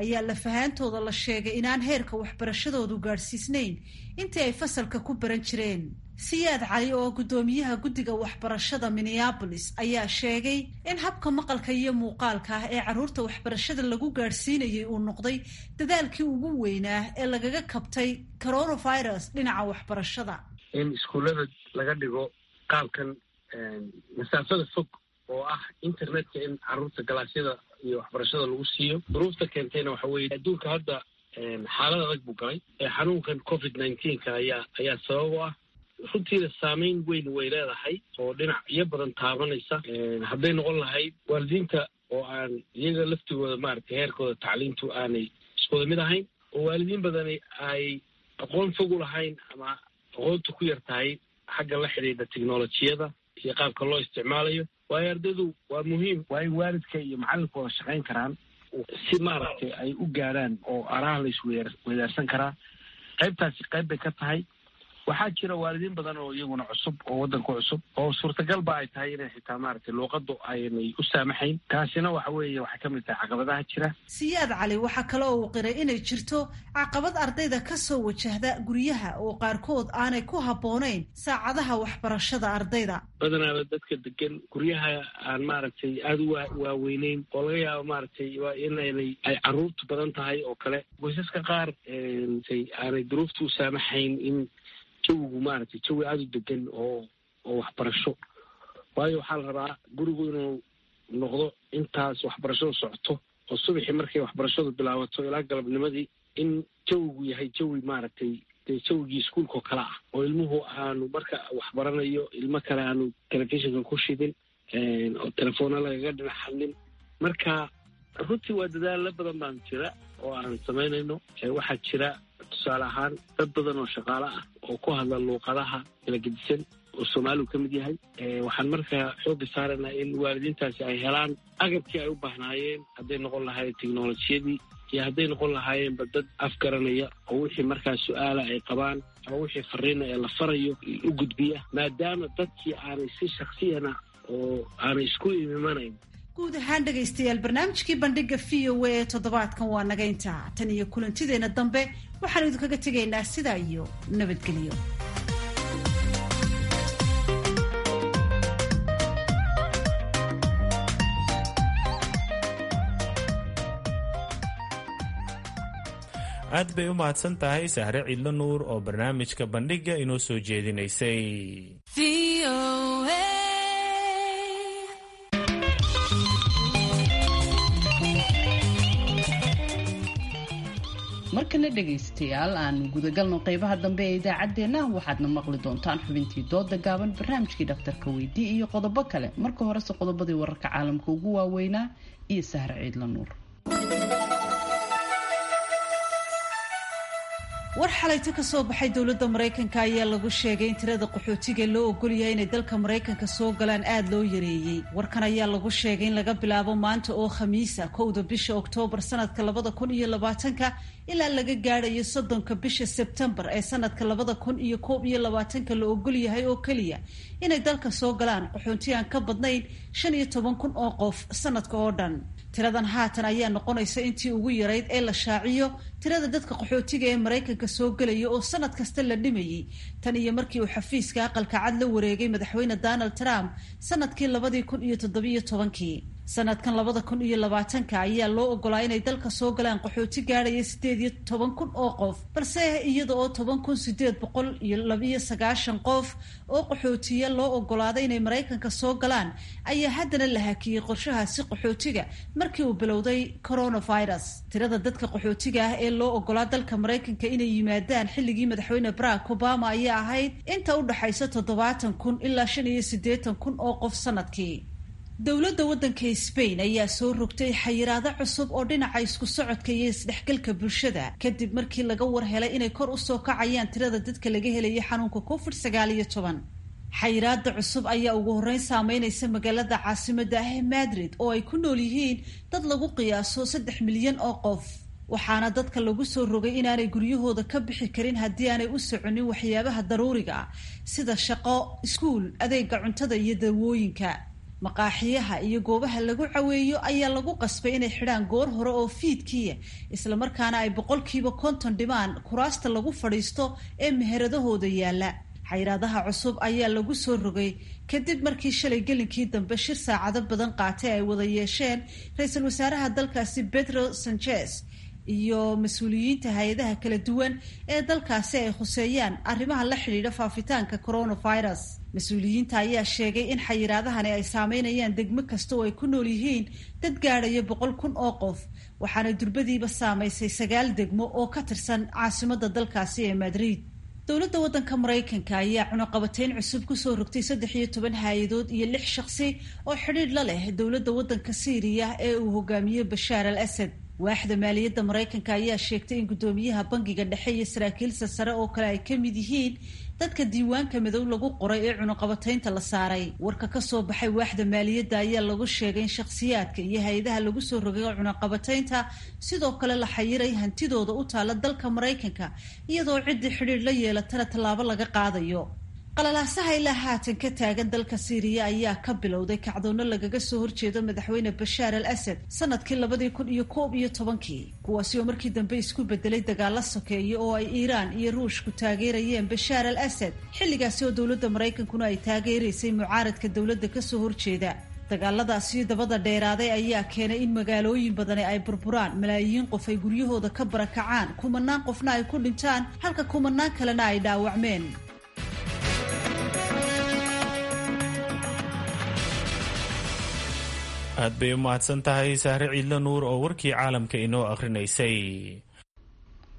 ayaa lafahaantooda la sheegay inaan heerka waxbarashadoodu gaadhsiisnayn intii ay fasalka ku baran jireen. Siyaad Cali oo guddoomiyaha guddiga waxbarashada Minneapolis ayaa sheegay in habka maqalka iyo muuqaalka ah ee carruurta waxbarashada lagu gaadhsiinayay uu noqday dadaalkii ugu weynaa ee lagaga kabtay coronavirus dhinaca waxbarashada. In iskuullada laga dhigo qaabkan masaafada fog oo ah internetka in carruurta galaasyada iyo waxbarashada lagu siiyo, duruufta keentayna waxa weeye adduunka hadda xaalad adag buu galay. Xanuunkan COVID-19-ka ayaa sabab u ah. Runtiina saameyn weyn way leedahay oo dhinacyo badan taabanaysa, hadday noqon lahayd waalidiinta oo aan iyaga laftigooda maaragtay heerkooda tacliintu aanay iskuwada mid ahayn, oo waalidiin badani ay aqoon fog u lahayn ama aqoontu ku yar tahay xagga la xidhiidha teknolojiyada iyo qaabka loo isticmaalayo. Waayo ardaydu waa muhiim, waa in waalidka iyo macallinka wada shaqayn karaan si maaragtay ay u gaadhaan oo araha la isweydaarsan karaa. Qaybtaasi qayb bay ka tahay. Waxaa jira waalidiin badan oo iyaguna cusub oo waddanka cusub oo suurtagal ba ay tahay inay xitaa maaragtay luuqaddu aynay u saamaxayn. Taasina waxa weeye waxay ka mid tahay caqabadaha jira. Siyaad Cali waxaa kale oo uu qiray inay jirto caqabad ardayda ka soo wajahda guryaha oo qaarkood aanay ku habboonayn saacadaha waxbarashada ardayda. Badanaaba dadka degan guryaha aan maaragtay aada u waaweyneyn oo laga yaabo maaragtay waa inaynay ay carruurtu badan tahay oo kale, qoysaska qaar aanay duruuftu u saamaxayn in jawigu maaragtay jawi aada u degan oo waxbarasho. Waayo waxaa la rabaa gurigu inuu noqdo intaas waxbarashadu socoto oo subaxii markay waxbarashadu bilaabato ilaa galabnimadii in jawigu yahay jawi maaragtay dee jawigii iskuulka oo kale ah, oo ilmuhu aanu marka waxbaranayo ilmo kale aanu telefishinka ku shidin oo telefoona lagaga dhinac hadlin. Marka runtii waa dadaalo badan baan jira oo aan samaynayno. Waxaa jira tusaale ahaan dad badan oo shaqaale ah oo ku hadla luuqadaha kala gedisan oo soomaaligu ka mid yahay. Waxaan markaa xoogga saaraynaa in waalidiintaasi ay helaan agabkii ay u baahnaayeen, hadday noqon lahaayeen teknolojiyadii iyo hadday noqon lahaayeenba dad afgaranaya oo wixii markaa su-aala ay qabaan ama wixii fariina ee la farayo u gudbiya, maadaama dadkii aanay si shaksiyana oo aanay isku imimanayn. Guud ahaan dhegaystayaal, barnaamijkii bandhiga v o a ee toddobaadkan waa naga intaa. Tan iyo kulantideenna dambe waxaanu idinkaga tegaynaa sidaa iyo nabadgelyo. Aad bay u mahadsan tahay Sahre Ciidlo Nuur oo barnaamijka bandhiga inoo soo jeedinaysay. Markana dhegaystayaal, aanu gudagalno qeybaha dambe ee idaacaddeenna. Waxaadna maqli doontaan xubintii dooda gaaban, barnaamijkii dhakhtarka weydii iyo qodobo kale. Marka horese qodobadii wararka caalamka ugu waaweynaa iyo Sahre Ciidla Nuur. War xalayto ka soo baxay dowladda Maraykanka ayaa lagu sheegay in tirada qaxootiga loo ogolyahay inay dalka Maraykanka soo galaan aada loo yareeyey. Warkan ayaa lagu sheegay in laga bilaabo maanta oo Khamiisa 1-da bisha Oktoobar sanadka 2020-ka ilaa laga gaadhayo 30-ka bisha Sebtembar ee sanadka 2021-ka la ogolyahay oo keliya inay dalka soo galaan qaxoonti aan ka badnayn 15,000 oo qof sanadka oo dhan. Tiradan haatan ayaa noqonaysa intii ugu yarayd ee la shaaciyo tirada dadka qaxootiga ee Maraykanka soo gelaya oo sanad kasta la dhimayay tan iyo markii uu xafiiska Aqalka Cad la wareegay madaxweyne Donald Trump sanadkii 2017-kii. Sanadkan 2020 ayaa loo ogolaa inay dalka soo galaan qaxooti gaadhaya 18,000 oo qof, balse iyada oo 10,892 qof oo qaxootiya loo ogolaaday inay Maraykanka soo galaan ayaa haddana la hakiyey qorshahaasi qaxootiga markii uu bilowday coronavirus. Tirada dadka qaxootiga ah ee loo ogolaa dalka Maraykanka inay yimaadaan xilligii madaxweyne Barack Obama ayaa ahayd inta u dhaxaysa 70,000 ilaa 85,000 oo qof sanadkii. Dowladda waddanka Spain ayaa soo rogtay xayiraado cusub oo dhinaca isku socodka iyo isdhexgalka bulshada kadib markii laga war helay inay kor u soo kacayaan tirada dadka laga helayay xanuunka COVID-19. Xayiraada cusub ayaa ugu horreyn saameynaysa magaalada caasimadda ah ee Madrid oo ay ku nool yihiin dad lagu qiyaaso 3 milyan oo qof, waxaana dadka lagu soo rogay inaanay guryahooda ka bixi karin haddii aanay u soconin waxyaabaha daruuriga ah sida shaqo, iskuul, adeega cuntada iyo dawooyinka. Maqaaxiyaha iyo goobaha lagu caweeyo ayaa lagu qasbay inay xidhaan goor hore oo fiidkiya, islamarkaana ay 50% dhimaan kuraasta lagu fadhiisto ee meheradahooda yaalla. Xayiraadaha cusub ayaa lagu soo rogay kadib markii shalay gelinkii dambe shir saacado badan qaatay ay wada yeesheen ra-iisul wasaaraha dalkaasi Pedro Sanchez iyo mas-uuliyiinta hay-adaha kala duwan ee dalkaasi ay khuseeyaan arrimaha la xidhiidha faafitaanka coronavirus. Mas-uuliyiinta ayaa sheegay in xayiraadahani ay saameynayaan degmo kasta oo ay ku nool yihiin dad gaadhaya 100,000 oo qof, waxaana durbadiiba saameysay 9 degmo oo ka tirsan caasimadda dalkaasi ee Madrid. Dowladda waddanka Maraykanka ayaa cunaqabateyn cusub kusoo rogtay 13 hay-adood iyo 6 shakhsi oo xidhiidh la leh dowladda waddanka Siiriya ee uu hogaamiyo Bashaar al Asad. Waaxda maaliyadda Maraykanka ayaa sheegtay in guddoomiyaha bangiga dhexe iyo saraakiilsa sare oo kale ay ka mid yihiin dadka diiwaanka madow lagu qoray ee cunaqabateynta la saaray. Warka ka soo baxay waaxda maaliyadda ayaa lagu sheegay in shakhsiyaadka iyo hay-adaha lagu soo rogay cunaqabateynta sidoo kale la xayiray hantidooda u taala dalka Maraykanka, iyadoo ciddii xidhiidh la yeelatana tallaabo laga qaadayo. Qalalaasaha ilaa haatan ka taagan dalka Siiriya ayaa ka bilowday kacdoonno lagaga soo horjeedo madaxweyne Bashaar al Asad sanadkii 2011, kuwaasi oo markii dambe isku bedelay dagaalo sokeeye oo ay Iiraan iyo Ruushku taageerayeen Bashaar al Asad, xilligaasi oo dowladda Maraykankuna ay taageeraysay mucaaradka dowladda kasoo horjeeda. Dagaaladaasi dabada dheeraaday ayaa keenay in magaalooyin badani ay burburaan, malaayiin qof ay guryahooda ka barakacaan, kumanaan qofna ay ku dhintaan, halka kumanaan kalena ay dhaawacmeen. Aad bay u mahadsan tahay Sahre Ciidla Nuur oo warkii caalamka inoo akhrinaysay.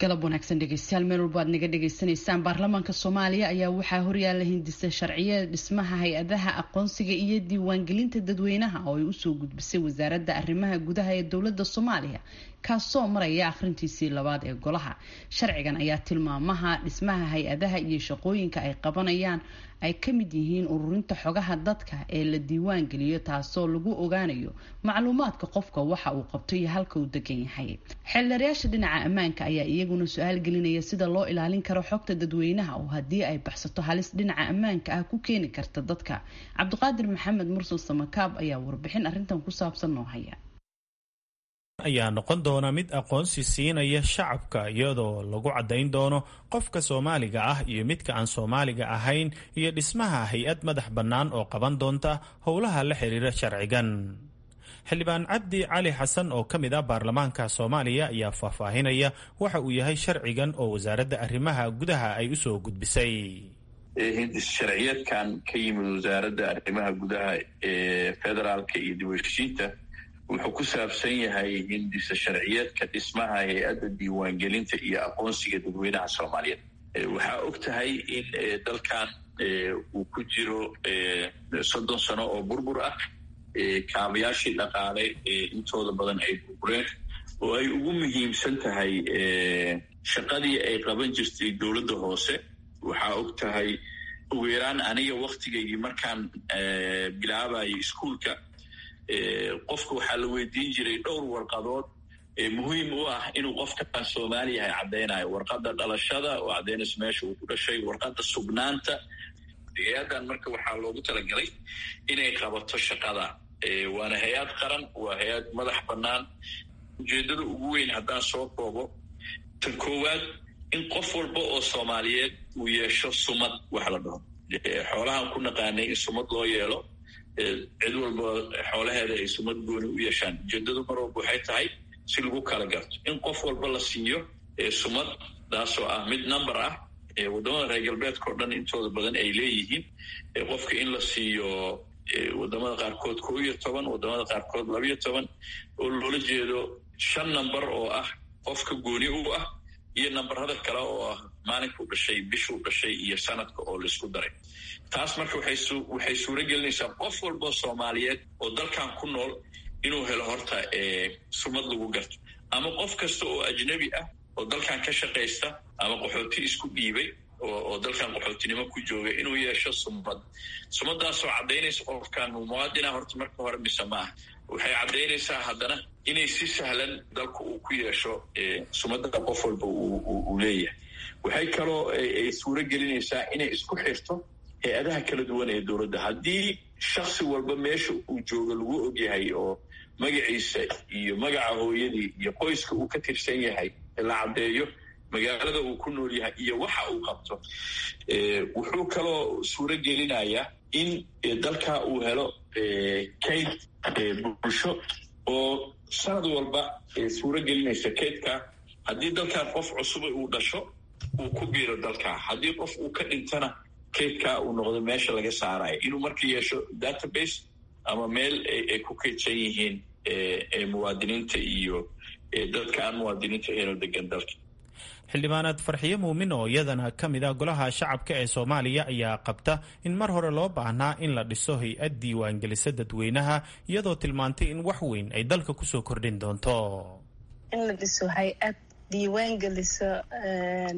Galab wanaagsan dhegeystayaal, meel walba aad naga dhegeysanaysaan. Baarlamaanka Soomaaliya ayaa waxaa horyaala hindisa sharciyeed dhismaha hay-adaha aqoonsiga iyo diiwaangelinta dadweynaha oo ay usoo gudbisay wasaaradda arrimaha gudaha ee dowladda Soomaaliya, kaasoo maraya akhrintiisii labaad ee golaha. Sharcigan ayaa tilmaamaha dhismaha hay-adaha iyo shaqooyinka ay qabanayaan ay ka mid yihiin ururinta xogaha dadka ee la diiwaan geliyo, taasoo lagu ogaanayo macluumaadka qofka, waxa uu qabto iyo halka uu degan yahay. Xeeldheerayaasha dhinaca ammaanka ayaa iyaguna su-aal gelinaya sida loo ilaalin karo xogta dadweynaha oo haddii ay baxsato halis dhinaca ammaanka ah ku keeni karta dadka. Cabdiqaadir Maxamed Mursal Samakaab ayaa warbixin arrintan ku saabsan noo haya. Ayaa noqon doona mid aqoonsi siinaya shacabka, iyadoo lagu caddayn doono qofka Soomaaliga ah iyo midka aan Soomaaliga ahayn, iyo dhismaha hay-ad madax bannaan oo qaban doonta howlaha la xiriira sharcigan. Xildhibaan Cabdi Cali Xasan oo ka mid ah baarlamaanka Soomaaliya ayaa faahfaahinaya waxa uu yahay sharcigan oo wasaaradda arrimaha gudaha ay usoo gudbisay. Hindis sharciyeedkan ka yimid wasaaradda arrimaha gudaha ee federaalka iyo dib u heshiinta wuxuu ku saabsan yahay hindisa sharciyeedka dhismaha hay-adda diiwaangelinta iyo aqoonsiga dadweynaha Soomaaliyeed. Waxaa og tahay in dalkan uu ku jiro 30 sano oo burbur ah, kaabayaashii dhaqaale intooda badan ay burbureen, oo ay ugu muhiimsan tahay shaqadii ay qaban jirtay dowladda hoose. Waxaa og tahay ugu yaraan aniga waktigaygii markaan bilaabayay iskuulka, qofka waxaa la weydiin jiray dhowr warqadood muhiim u ah inuu qofkaan Soomaali yahay caddaynayo: warqadda dhalashada oo caddaynayso meesha uu ku dhashay, warqadda sugnaanta. Hay-addan marka waxaa loogu talagalay inay qabato shaqada, waana hay-ad qaran, waa hay-ad madax bannaan. Ujeeddada ugu weyn haddaan soo koobo, tan koowaad, in qof walba oo Soomaaliyeed uu yeesho sumad. Wax la dhaho xoolahan ku naqaanay in sumad loo yeelo, Cid walba xoolaheeda ay sumad gooni u yeeshaan. Ujeedadu mar walba waxay tahay si lagu kala garto in qof walba la siiyo sumad, taasoo ah mid number ah. Waddamada reer galbeedka oo dhan intooda badan ay leeyihiin qofka in la siiyo, wadamada qaarkood 11, wadamada qaarkood 12, oo loola jeedo shan number oo ah qofka gooni u ah iyo nambarada kale oo ah maalinkuu dhashay, bishuu dhashay iyo sanadka oo laisku daray. Taas marka waxay suuro gelinaysaa qof walboo Soomaaliyeed oo dalkan ku nool inuu helo horta sumad lagu garto, ama qof kasta oo ajnabi ah oo dalkan ka shaqaysta ama qaxooti isku dhiibay oo dalkan qaxootinimo ku jooga inuu yeesho sumad. Sumadaasoo caddaynaysa qofkan muwaadina horta marka hore mise maaha. Waxay caddaynaysaa haddana inay si sahlan dalku uu ku yeesho sumadda qof walba uu leeyahay. Waxay kaloo ay suuro gelinaysaa inay isku xirto hay-adaha kala duwan ee dowladda. Haddii shaksi walba meesha uu joogo lagu ogyahay oo magaciisa iyo magaca hooyadii iyo qoyska uu ka tirsan yahay la caddeeyo, magaalada uu ku nool yahay iyo waxa uu qabto, wuxuu kaloo suuro gelinayaa in dalka uu helo kayd bulsho oo sanad walba suuro gelinaysa kaydka haddii dalkan qof cusub uu dhasho uu ku biiro dalka, haddii qof uu ka dhintana kaydkaa uu noqdo meesha laga saarayo, inuu marka yeesho database ama meel ay ku kaydsan yihiin muwaadiniinta iyo dadka aan muwaadiniinta ahayn oo degan dalka. Xildhibaanaad Farxiyo Muumin oo iyadana ka mid ah Golaha Shacabka ee Soomaaliya ayaa qabta in mar hore loo baahnaa in la dhiso hay-ad diiwaangelisa dadweynaha, iyadoo tilmaantay in wax weyn ay dalka kusoo kordhin doonto. In la dhiso hay-ad diiwaangelisa,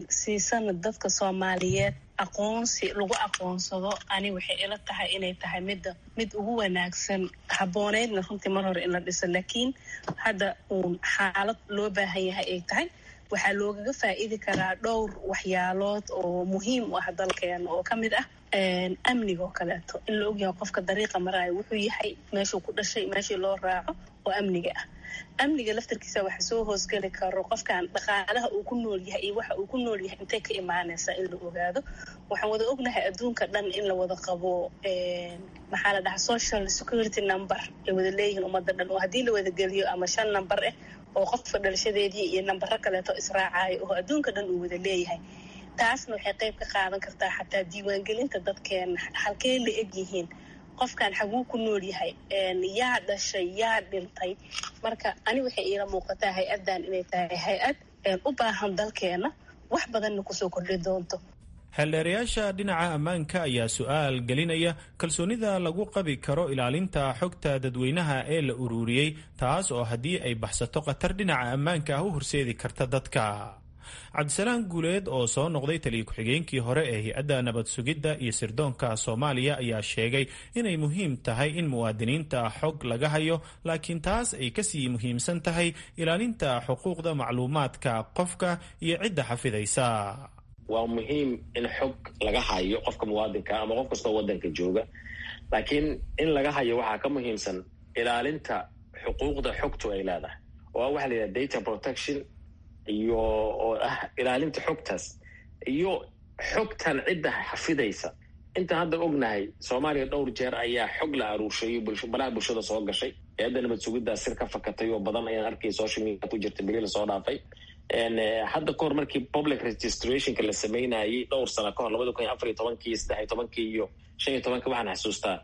siisana dadka Soomaaliyeed aqoonsi lagu aqoonsado, ani waxay ila tahay inay tahay midda mid ugu wanaagsan, habbooneydna runtii mar hore in la dhiso, laakiin hadda uun xaalad loo baahan yahay ay tahay. Waxaa loogaga faa'iidi karaa dhowr waxyaalood oo muhiim u ah dalkeena, oo ka mid ah amniga oo kaleeto, in la ogyahay qofka dariiqa maraayo wuxuu yahay, meeshuu ku dhashay, meeshii loo raaco oo amniga ah. Amniga laftarkiisa waxa soo hoosgeli karo qofkan dhaqaalaha uu ku nool yahay iyo waxa uu ku nool yahay intay ka imaanaysaa in la ogaado. Waxaan wada ognahay adduunka dhan in la wada qabo, maxaa la dhahaa, social security number ay wada leeyihiin ummadda dhan, oo haddii la wada geliyo ama shan number ah oo qofka dhalashadeedii iyo nambaro kaleeto israacayo oo adduunka dhan uu wada leeyahay. Taasna waxay qayb ka qaadan kartaa xataa diiwaangelinta dadkeena, halkee la eg yihiin, qofkan xaguu ku nool yahay, yaa dhashay, yaa dhintay. Marka ani waxay iila muuqataa hay-addan inay tahay hay-ad u baahan dalkeena, wax badanna kusoo kordhi doonto. Xeeldheerayaasha dhinaca ammaanka ayaa su-aal gelinaya kalsoonida lagu qabi karo ilaalinta xogta dadweynaha ee la ururiyey, taas oo haddii ay baxsato khatar dhinaca ammaanka ah u horseedi karta dadka. Cabdisalaan Guuleed oo soo noqday taliya ku-xigeenkii hore ee hay-adda nabad sugidda iyo sirdoonka Soomaaliya ayaa sheegay inay muhiim tahay in muwaadiniinta xog laga hayo, laakiin taas ay kasii muhiimsan tahay ilaalinta xuquuqda macluumaadka qofka iyo cidda xafidaysa. Waa muhiim in xog laga hayo qofka muwaadinka ama qof kastoo waddanka jooga, laakiin in laga hayo waxaa ka muhiimsan ilaalinta xuquuqda xogtu ay leedahay, oo ah waxa la yidhaha data protection, iyo oo ah ilaalinta xogtaas iyo xogtan cidda xafidaysa. Intaan hadda ognahay, Soomaaliya dhowr jeer ayaa xog la aruurshay baraha bulshada soo gashay. Hay-adda nabad sugiddaa sir ka fakatay oo badan ayaan arkay social media ku jirta beri lasoo dhaafay. Hadda kahor markii public registrationka la sameynayay dhowr sano kahor, 2014-kii, 13-kii iyo 15-kii, waxaan xasuustaa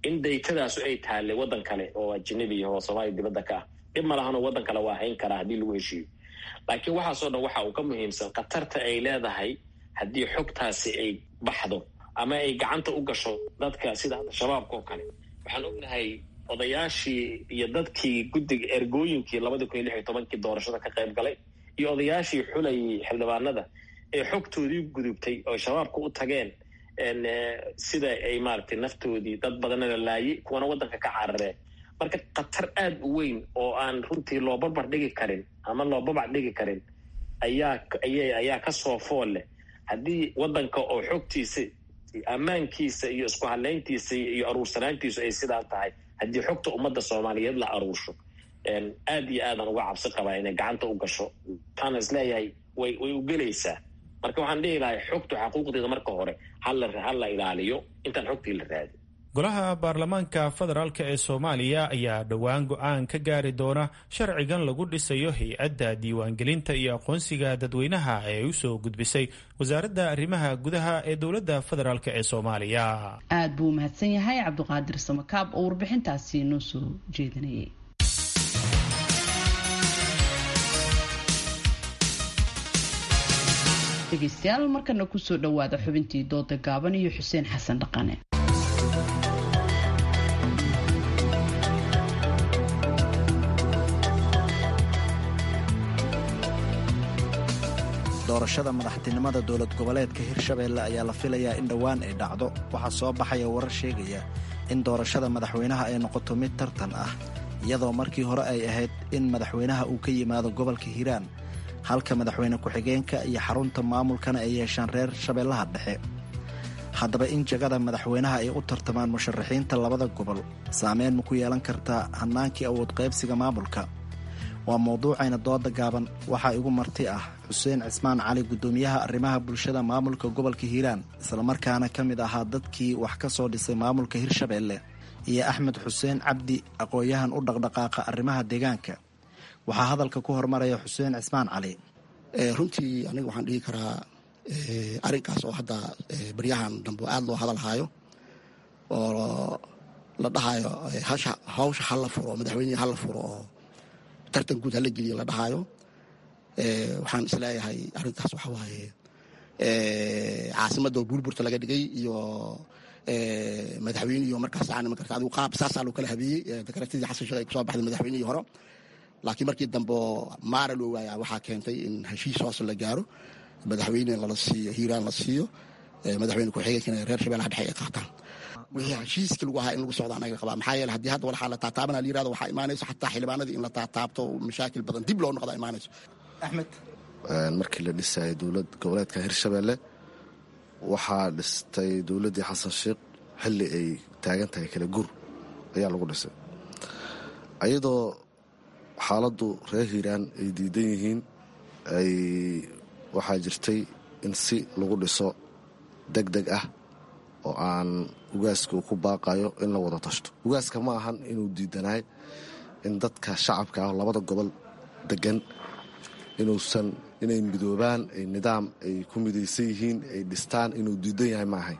in daytadaasu ay taallay waddan kale oo ajnabi ah oo Soomaaliya dibadda ka ah. Dhib ma lahanoo, waddan kale waa hayn karaa haddii lagu heshiiyo, laakiin waxaasoo dhan waxa uu ka muhiimsan khatarta ay leedahay haddii xogtaasi ay baxdo ama ay gacanta u gasho dadka sida hadda Shabaabka oo kale. Waxaan ognahay odayaashii iyo dadkii guddiga ergooyinkii 2016-kii doorashada ka qayb galay iyo odayaashii xulayay xildhibaanada ee xogtoodii gudubtay oo Shabaabka u tageen, sida ay maaragtay naftoodii dad badanna la laayay, kuwana waddanka ka carareen. Marka khatar aada u weyn oo aan runtii loo barbar dhigi karin ama loo babac dhigi karin ayaa kasoo fool leh haddii waddanka oo xogtiisa, ammaankiisa iyo isku hadlayntiisa iyo aruursanaantiisu ay sidaa tahay, haddii xogta ummadda Soomaaliyeed la aruursho, aad iyo aadaan uga cabsi qabaa inay gacanta u gasho. Waxaana isleeyahay way u gelaysaa. Marka waxaan dhihi lahay xogtu xaquuqdeeda marka hore hala ilaaliyo intaan xogtii la raadin. Golaha baarlamaanka federaalk ee Soomaaliya ayaa dhowaan go-aan ka gaari doona sharcigan lagu dhisayo hay-adda diiwaangelinta iyo aqoonsiga dadweynaha ee u soo gudbisay wasaaradda arrimaha gudaha ee dowladda federaalk ee Soomaaliya. Aad buu umahadsan yahay Cabdiqaadir Samakaab oo warbixintaasi noo soo jeedinayay. Dhegeystayaal, markana kusoo dhowaada xubintii dooda gaaban iyo Xuseen Xasan Dhaqane. Doorashada madaxtinimada dowlad goboleedka Hirshabeelle ayaa la filayaa in dhowaan ay dhacdo. Waxaa soo baxaya warar sheegaya in doorashada madaxweynaha ay noqoto mid tartan ah, iyadoo markii hore ay ahayd in madaxweynaha uu ka yimaado gobolka Hiiraan, halka madaxweyne ku-xigeenka iyo xarunta maamulkana ay yeeshaan reer Shabeellaha Dhexe. Haddaba, in jagada madaxweynaha ay u tartamaan musharaxiinta labada gobol saameyn ma ku yeelan kartaa hannaankii awood qaybsiga maamulka? Waa mawduucayna dooda gaaban. Waxaa igu marti ah Xuseen Cismaan Cali, guddoomiyaha arrimaha bulshada maamulka gobolka Hiiraan, islamarkaana ka mid ahaa dadkii wax ka soo dhisay maamulka Hirshabeelle, iyo Axmed Xuseen Cabdi, aqoon-yahan u dhaqdhaqaaqa arrimaha deegaanka. Waxaa hadalka ku hormaraya Xuseen Cismaan Cali. Runtii aniga waxaan dhihi karaa arrinkaas oo hadda baryahan dambe aada loo hadalhaayo oo la dhahayo hawsha hala furo, madaxweynihii hala furo oo tartan guud hala geliyo la dhahaayo, waxaan isleeyahay arrintaas waxa waaye caasimadda oo buurburta laga dhigay iyo madaxweynihi markaas yani makarta adigu qaab saasaa loo kala habeeyey dakaratadii Xasan Sheekh ay kusoo baxday madaxweynihii hore. Laakiin markii dambe maara loo waaya waxaa keentay in heshiis hoose la gaaro, madaxweyne lala siiyo Hiiraan la siiyo, madaxweyne ku-xigeenkana reer Shabeellaha Dhexe ay qaataan. Wixii heshiiska lagu ahaa in lagu socdo anaga qabaa, maxaa yeele haddii hadda waxaa la taataabana la yirahdo waxaa imaanayso xataa xildhibaanadii in la taataabto, mashaakil badan dib loo noqda imaanayso. Axmed, markii la dhisayay dowlad goboleedka Hirshabeelle waxaa dhistay dowladdii Xasan Sheekh xilli ay taagan tahay kala guur ayaa lagu dhisay, ayadoo xaaladdu reer Hiiraan ay diidan yihiin. Ay waxaa jirtay in si lagu dhiso deg deg ah oo aan ugaaska uu ku baaqayo in la wada tashto. Ugaaska ma ahan inuu diidanaay in dadka shacabka ah labada gobol degan inuusan inay midoobaan, ay nidaam ay ku midaysan yihiin ay dhistaan inuu diidan yahay ma ahayn.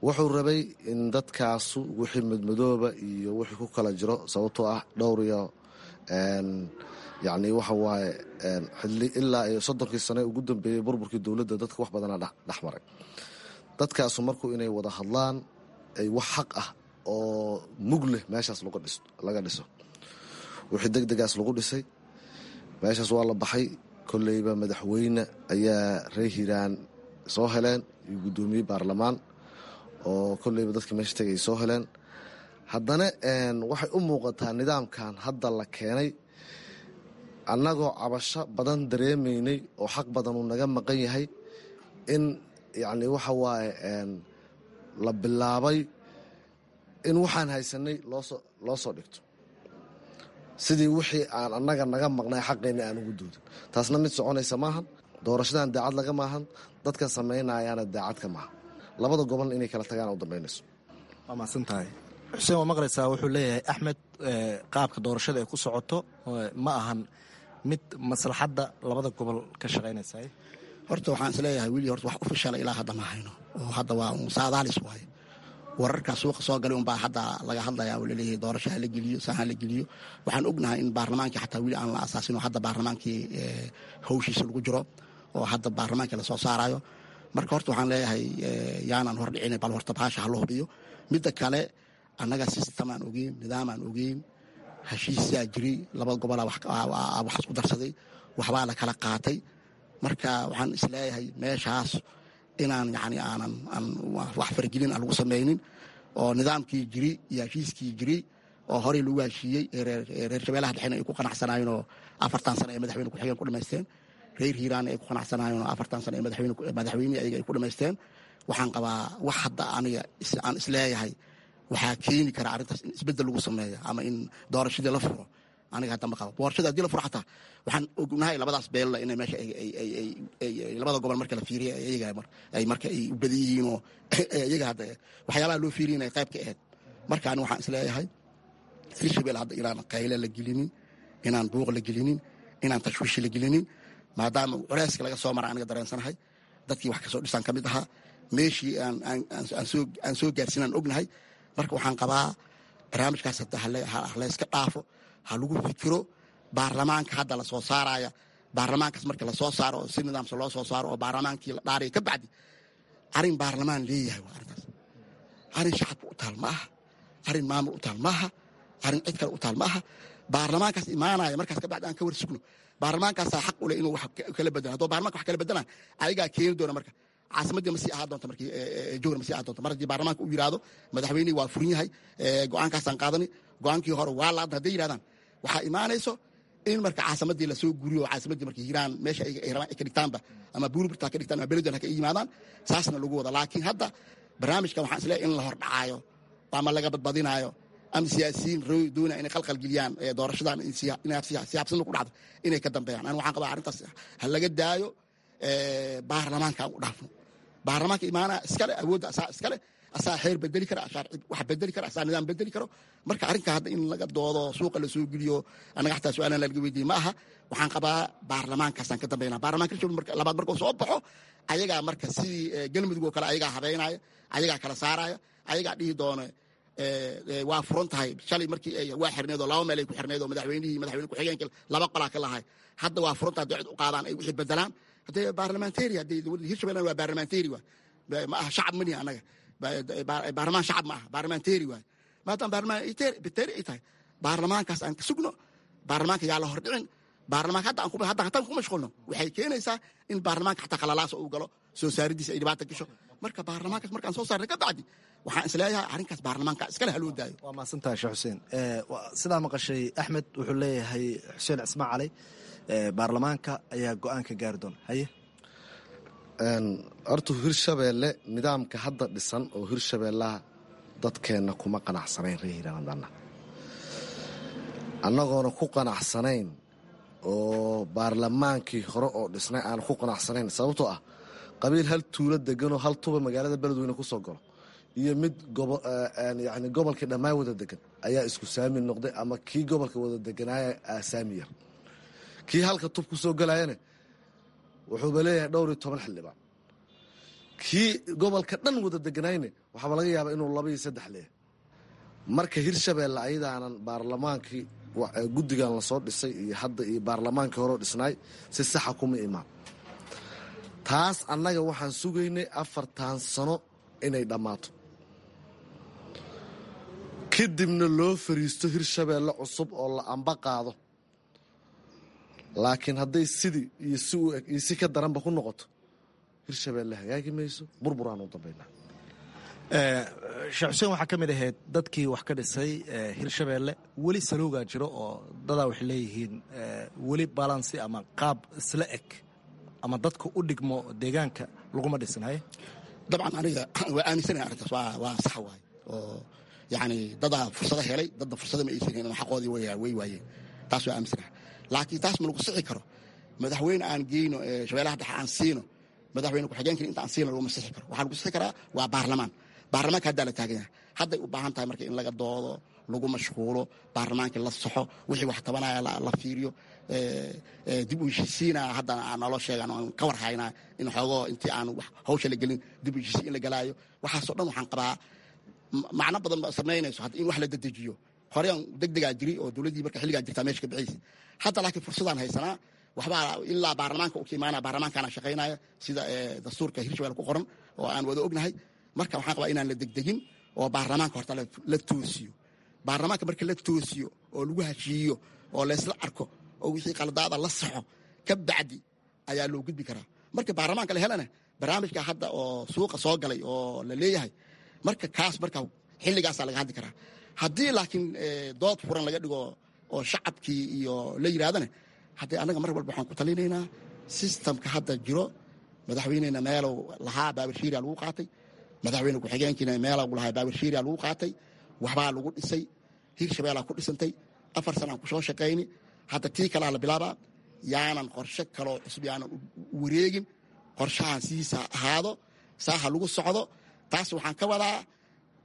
Wuxuu rabay in dadkaasu wixii madmadooba iyo wixii ku kala jiro, sababtoo ah dhowr iyo yacni waxa waaye xilli ilaa iyo 30kii sane ugu dambeeyey burburkii dowladda dadka wax badanaa dhex maray. Dadkaasu markuu inay wada hadlaan ay wax xaq ah oo mug leh meeshaas laga dhiso. Wixii deg degaas lagu dhisay meeshaas waa la baxay. Kolleyba madaxweyne ayaa reer Hiiraan soo heleen iyo guddoomiye baarlamaan oo kolleyba dadka meesha tagay soo heleen. Haddana waxay u muuqataa nidaamkan hadda la keenay annagoo cabasho badan dareemaynay oo xaq badan uu naga maqan yahay in yacni waxa waaye la bilaabay in waxaan haysanay loo soo dhigto sidii wixii aan annaga naga maqnay xaqeenna aan ugu doodin. Taasna mid soconaysa maahan. Doorashadan daacad laga maahan, dadka samaynayaana daacad ka maaha. Labada gobolna inay kala tagaan u dambaynayso. Waa mahadsan tahay Xuseen. Waa maqlaysaa, wuxuu leeyahay Axmed qaabka doorashada ay ku socoto ma ahan mid maslaxadda labada gobol ka shaqaynaysa. Horta waxaan isleeyahay wili horta wax official ilaa hadda ma hayno, oo hadda waa un saadaalis waaye. Wararka suuqa soo galay unbaa hadda laga hadlayaa oo laleeyahay doorasho ha la geliyo, saan ha la geliyo. Waxaan ognahay in baarlamaankii xataa weli aan la asaasin oo hadda baarlamaankii hawshiisa lagu jiro oo hadda baarlamaankii lasoo saarayo. Marka horta waxaan leeyahay yaanan hordhicin, bal horta baasha ha la hubiyo. Midda kale, annaga system aan ogeyn, nidaam aan ogeyn, heshiisaa jiray, laba gobolaa wax isku darsaday, waxbaa la kala qaatay. Marka waxaan isleeyahay meeshaas inaan yani aanan aan wax fargelin aan lagu samaynin oo nidaamkii jiri iyo heshiiskii jiri oo horey lagu heshiiyey reer Shabeellaha Dhexena ay ku qanacsanaayeen oo 4tan sano ay madaxweyne ku-xigeen ku dhamaysteen, reer Hiiraan ay ku qanacsanaayeen oo 4tan sano ay madaxweyne ayaga ay ku dhamaysteen. Waxaan qabaa wax hadda aniga aan isleeyahay waxaa keeni kara arrintaas in isbeddel lagu sameeyo ama in doorashadii la furo. Aniga hadda ma qabo doorashada haddii la furo xataa waxaan ognahay labadaas beella inay meesha labada gobol marka la fiiriya iyaga ay marka ay u badan yihiin oo iyaga hadda waxyaabaha loo fiiriya inay qayb ka ahayd. Marka ani waxaan isleeyahay Hirshabelle hadda inaan qayle la gelinin, inaan buuq la gelinin, inaan tashwiish la gelinin, maadaama culeyska laga soo mara aniga dareensanahay dadkii wax kasoo dhisaan ka mid ahaa meeshii aan soo gaarsiinaan ognahay. Marka waxaan qabaa barnaamijkaas hadda halayska dhaafo, ha lagu fikiro baarlamaanka hadda lasoo saaraya. Baarlamaankaas marka lasoo saaro oo si nidaamsa loo soo saaro oo baarlamaankii la dhaaraya ka bacdi, arrin baarlamaan leeyahay waa arrintaas. Arrin shacabka u taal ma aha, arrin maamul u taal ma aha, arrin cid kale u taal ma aha. Baarlamaankaas imaanaya markaas ka bacdi aan ka war sugno. Baarlamaankaasaa xaq u leh inuu wax kala bedelo. Haddoo baarlamanka wax kala bedelaan ayagaa keeni doona. Marka caasimaddii ma sii ahaan doonta, markii jowhar ma sii ahaan doonta. Mar haddii baarlamaanka uu yidhaahdo madaxweynihii waa furin yahay, go-aankaasaan qaadani, go-aankii hore waa laadna hadday yidhahdaan, waxaa imaanayso in marka caasimaddii lasoo guriyo, caasimaddii marka Hiiraan meesha ay rabaan ay ka dhigtaanba, ama Buurburta ha ka dhigtaan ama Beledweyne ha ka yimaadaan, saasna lagu wada. Laakiin hadda barnaamijkan waxaan isleeyahay in la hordhacaayo ama laga badbadinaayo ama siyaasiyiin rooy doonaya inay qalqal geliyaan doorashadan inay siyaabsana ku dhacdo inay ka dambeeyaan. Ani waxaan qabaa arrintaas ha laga daayo, baarlamaanka aan u dhaafno. Baarlamaanka imaanaa iskale awoodda, asaa iskale, asaa xeer bedeli kara, asaa wax bedeli kara, asaa nidaam bedeli karo. Marka arrinka hadda in laga doodo, suuqa la soo geliyo, annaga xataa su-aalan laga weydiiyey ma aha. Waxaan qabaa baarlamaankaasaan ka dambeynaa. Baarlamaanka Hirshabelle marka labaad markuu soo baxo, ayagaa marka sidii Galmudug oo kale ayagaa habeynaya, ayagaa kala saaraya, ayagaa dhihi doona waa furan tahay. Shalay markii waa xirneed oo laba meel ay ku xirneed oo madaxweynihii, madaxweyne ku-xigeenka laba qolaa ka lahay. Hadda waa furan tahay, hadday cid u qaadaan ay wixii bedelaan. Haddee baarlamentary, haddii Hirshabelle waa baarlamentary, waa ma aha shacab manihi annaga baarlamaan shacab ma aha, baarlamentary waay. Maadaama baarlamentary ay tahay, baarlamaankaas aan ka sugno. Baarlamaanka yaa la hordhicin. Baarlamaanka hadda aan hadda hataan ku mashquulno waxay keenaysaa in baarlamaanka xataa khalalaasa uu galo, soo saaridiisa ay dhibaata gasho. Marka baarlamaankaas markaan soo saarna ka bacdi waxaan isleeyahay arrinkaas baarlamaanka iskale haloo daayo. Waa mahadsantahay Sheekh Xuseen. Sidaa maqashay Axmed wuxuu leeyahay Xuseen Cismaan Cali baarlamaanka ayaa go-aan ka gaari doona. Haye. Horta Hirshabeelle nidaamka hadda dhisan oo Hirshabeellaha dadkeenna kuma qanacsanayn. Reer Hiiraan annagoona ku qanacsanayn oo baarlamaankii hore oo dhisnay aan ku qanacsanayn, sababtoo ah qabiil hal tuulo deganoo hal tuba magaalada Beledweyne ku soo galo iyo mid yani gobolkii dhammaan wada degan ayaa isku saami noqday, ama kii gobolka wada deganaaya aasaami yar, kii halka tub ku soo galayana wuxuuba leeyahay dhowr iyo toban xildhibaan, kii gobolka dhan wada deganayne waxaaba laga yaabaa inuu 2 iyo 3 leeyahay. Marka Hirshabeelle ayadaanan baarlamaankii guddigan lasoo dhisay iyo hadda iyo baarlamaankii horeo dhisnaay si saxa kuma imaan. Taas annaga waxaan sugaynay 4tan sano inay dhammaato, kadibna loo fariisto Hirshabeelle cusub oo la amba qaado. Laakiin hadday sidii iyo si u eg iyo si ka daranba ku noqoto, Hirshabeelle hagaagi mayso, burburaan u dambaynaa. Sheekh Xuseen, waxaa ka mid ahayd dadkii wax ka dhisay Hirshabeelle. Weli saluugaa jiro oo dadaa waxay leeyihiin weli balansi ama qaab isla eg ama dadka u dhigmo deegaanka laguma dhisin. Haye. Dabcan aniga waa aaminsanahay arrintaas waa sax waay, oo yacni dadaa fursado helay, dadna fursado ma aysan helin, xaqoodii way waayeen. Taas waa aaminsanahay, laakiin taas ma lagu sixi karo madaxweyne aan geyno Shabeellaha Dhexe aan siino, madaxweyne ku-xigeenkii inta aan siino laguma sixi karo. Waxaa lagu sixi karaa waa baarlamaan. Baarlamaanka haddaa la taagan yahay, hadday u baahan tahay marka in laga doodo, lagu mashquulo, baarlamaankii la saxo, wixii wax tabanaya la fiiriyo, dib u heshiisiinaa haddana aan naloo sheegan aan ka war haynaa in xoogoo intii aan hawsha la gelin dib u heshiisiin in la galaayo. Waxaasoo dhan waxaan qabaa macno badan ba samaynayso hadda in wax la dedejiyo. Horeyaan degdegaa jiri oo dowladdii marka xilligaa jirtaa meesha ka bixaysa hadda, laakiin fursadaan haysanaa waxbaa ilaa baarlamaanka u ka imaanaya, baarlamaankaana shaqaynaya sida dastuurka Hirshabelle ku qoran oo aan wada ognahay. Marka waxaan qabaa inaan la degdegin oo baarlamaanka horta la toosiyo. Baarlamaanka marka la toosiyo oo lagu heshiiyo oo laysla arko oo wixii qaladaada la saxo ka bacdi ayaa loo gudbi karaa. Marka baarlamaanka la helana barnaamijka hadda oo suuqa soo galay oo la leeyahay marka kaas marka xilligaasaa laga hadli karaa. Haddii laakiin dood furan laga dhigo oo shacabkii iyo la yidhahdana, haddee annaga mar walba waxaan ku talinaynaa sistamka hadda jiro. Madaxweynena meelow lahaa baabarshiiriya lagu qaatay, madaxweyne ku-xigeenkiina meelow lahaa baabarshiiriya lagu qaatay, waxbaa lagu dhisay, Hirshabeellaa ku dhisantay. 4 sanaan ku soo shaqayni, hadda tii kalaa la bilaabaa. Yaanan qorshe kaloo cusub yaanan wareegin, qorshahan sidiisa ahaado, saaha lagu socdo. Taas waxaan ka wadaa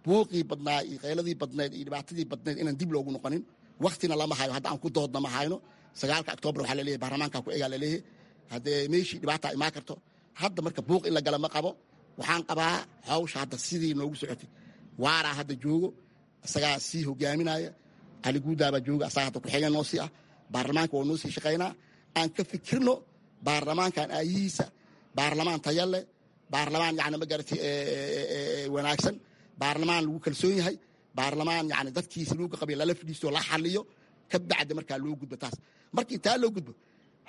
buuqii badnaa iyo qayladii badnayd iyo dhibaatadii badnayd inaan dib loogu noqonin. Waktina lama hayo, hadda aan ku doodna ma hayno. 9 Oktoobar waxaa laleeyahay baarlamaanka ku egaa laleeyahay, haddee meeshii dhibaataa imaan karto. Hadda marka buuq in la gala ma qabo. Waxaan qabaa hawsha hadda sidii noogu socotay, waaraa hadda joogo, isagaa sii hogaaminaya. Cali Guudaabaa jooga, asagaa hadda ku-xigeen noo sii ah. Baarlamaanka waa noo sii shaqaynaa. Aan ka fikirno baarlamaankan aayihiisa, baarlamaan taya leh, baarlamaan yani ma garatay wanaagsan, baarlamaan lagu kalsoon yahay, baarlamaan yani dadkiisa lagu qabiy lala fadhiisto, la xaliyo, ka bacdi markaa loo gudbo taas. Markii taa loo gudbo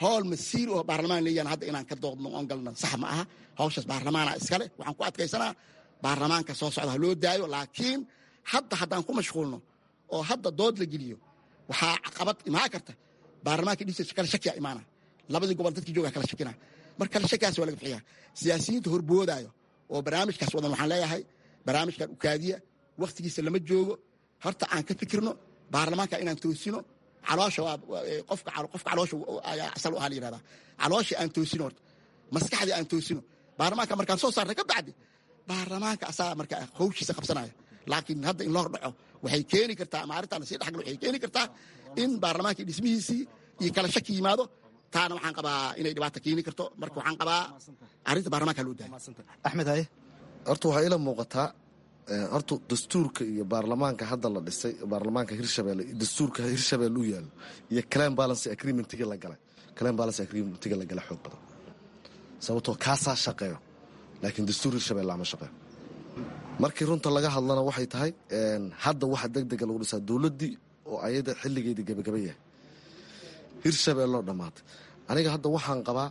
howl masiir oo baarlamaan leeyahan hadda inaan ka doodno oon galno sax ma aha. Hawshaas baarlamaana iskale. Waxaan ku adkaysanaa baarlamaanka soo socda ha loo daayo, laakiin hadda haddaan ku mashquulno oo hadda dood la geliyo, waxaa caqabad imaan karta baarlamaanka dhisa kala shakiya imaana, labadii gobol dadkii jooga kala shakina. Marka kala shakiyaas waa laga bixiyaa. Siyaasiyiinta horboodaayo oo barnaamijkaas wadan waxaan leeyahay barnaamijkan ukaadiya, wakhtigiisa lama joogo. Horta aan ka fikirno baarlamaanka inaan toosino. Caloosha waa qofka, qofka caloosha ayaa asal u ahaa la yihahdaa. Caloosha aan toosino, horta maskaxdii aan toosino. Baarlamaanka markaan soo saarna ka bacdi baarlamaanka asaa marka hawshiisa qabsanaya. Laakiin hadda in loo hordhaco waxay keeni kartaa, ama arrintaan lasii dhexgalo waxay keeni kartaa in baarlamaankii dhismihiisii iyo kala shaki yimaado. Taana waxaan qabaa inay dhibaata keeni karto. Marka waxaan qabaa arrinta baarlamaanka loo daayo. Axmed haye. Horta waxaa ila muuqataa, horta dastuurka iyo baarlamaanka hadda la dhisay, baarlamaanka Hirshabelle, dastuurka Hirshabelle u yaalo iyo clan balance agreementiga la galay, clan balance agreementiga la galay xoog badan, sababtoo kaasaa shaqeeyo, laakiin dastuur Hirshabelle lama shaqeeyo. Markii runta laga hadlana waxay tahay hadda waxa degdega lagu dhisaa dowladdii oo ayada xilligeedii gabagaba yahay, Hirshabelle oo dhammaatay. Aniga hadda waxaan qabaa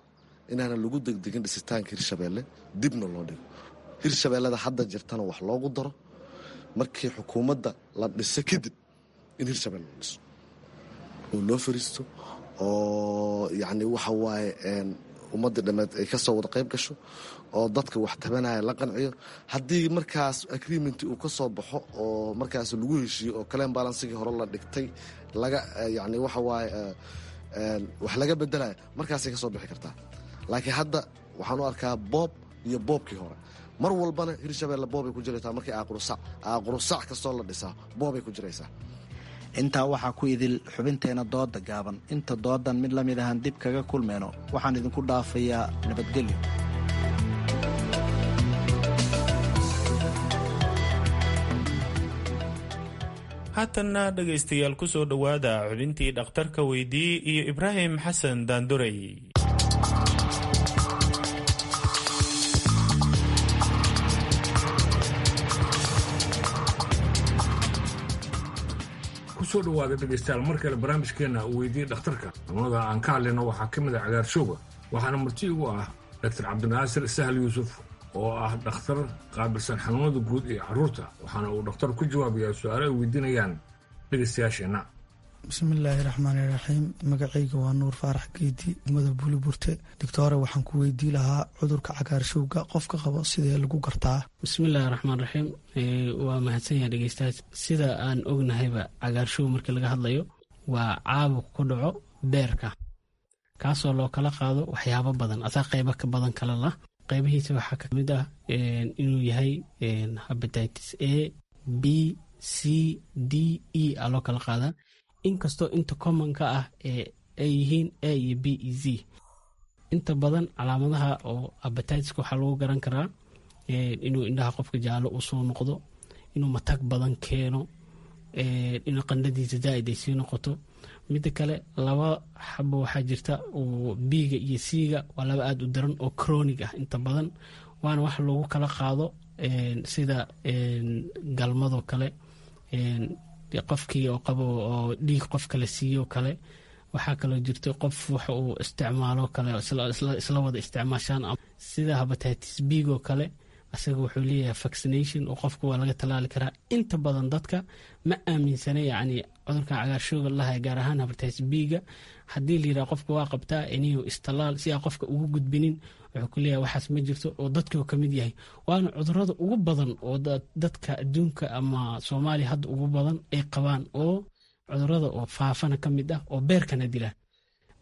inaanan lagu degdegin dhisitaanka Hirshabelle, dibna loo dhigo. Hirshabellada hadda jirtana wax loogu daro, markii xukuumadda la dhiso kadib in Hirshabelle la dhiso oo loo fariisto oo yacni waxa waaye ummadda dhammeed ay ka soo wada qayb gasho oo dadka wax tabanaya la qanciyo. Haddii markaas agreement uu ka soo baxo oo markaas lagu heshiiyo oo kaleen balansigii hore la dhigtay laga yacni waxa waaye wax laga bedelayo, markaasay ka soo bixi kartaa. Laakiin hadda waxaan u arkaa boob iyo boobkii hore. Mar walbana Hirshabelle boobay ku jiraysaa. Markii aaqurusac kastoo la dhisaa boobay ku jiraysaa. Intaa waxaa ku idil xubinteena dooda gaaban. Inta doodan mid la mid ahaan dib kaga kulmeyno, waxaan idinku dhaafayaa nabadgelyo. Haatanna dhegaystayaal, ku soo dhowaada xubintii dhakhtarka weydii iyo Ibraahim Xasan Daandurey. Kusoo dhawaada dhegaystayaal mar kale barnaamijkeena Weydii Dhakhtarka. Xanuunada aan ka hadlayno waxaa ka mid ah cagaarshowga, waxaana marti igu ah Dr. Cabdinaasir Sahal Yuusuf oo ah dhakhtar qaabilsan xanuunada guud ee carruurta, waxaana uu dhakhtar ku jawaabayaa su-aalo ay weydiinayaan dhegaystayaasheenna. Bismillaahi raxmaani raxiim. Magacayga waa Nuur Faarax Geedi, degmada Buuliburte. Doctore, waxaan ku weydii lahaa cudurka cagaarshowga qofka qabo sidee lagu gartaa? Bismillaahi raxmaan raxiim. Waa mahadsan yahay dhegeystayaas. Sida aan ognahayba, cagaarshow markii laga hadlayo waa caabuq ku dhaco beerka, kaasoo loo kala qaado waxyaabo badan, asaa qeybo ka badan kala lah. Qeybihiisa waxaa ka mid ah inuu yahay hepatitis A, B, C, D, E a loo kala qaadaa, inkastoo inta commonka ah ee ay yihiin A iyo B e Z. Inta badan calaamadaha oo hepatitiska waxaa lagu garan karaa inuu indhaha qofka jaallo uu soo noqdo, inuu matag badan keeno, inuu qandhadiisa zaaid ay sii noqoto. Mida kale, laba xabo waxaa jirta oo B-ga iyo C-ga, waa laba aada u daran oo chronic ah inta badan, waana wax loogu kala qaado sida galmadoo kale, qofkii oo qabo oo dhiig qof kale siiyo kale. Waxaa kaloo jirta qof wax uu isticmaalo kale isla wada isticmaashaan, sida hepatitis B-go kale. Asaga wuxuu leeyahay vaccination oo qofka waa laga tallaali karaa. Inta badan dadka ma aaminsana yacni cudurkan cagaarshowga lahay, gaar ahaan hepatitis B-ga. Haddii la yidhaha qofka waa qabtaa iniyu istallaal si aa qofka ugu gudbinin, wuxuu ku leeyahay waxaas ma jirto, oo dadkuu ka mid yahay. Waana cudurada ugu badan oo dadka adduunka ama Soomaaliya hadda ugu badan ay qabaan oo Cudurada oo faafana ka mid ah oo beerkana dila.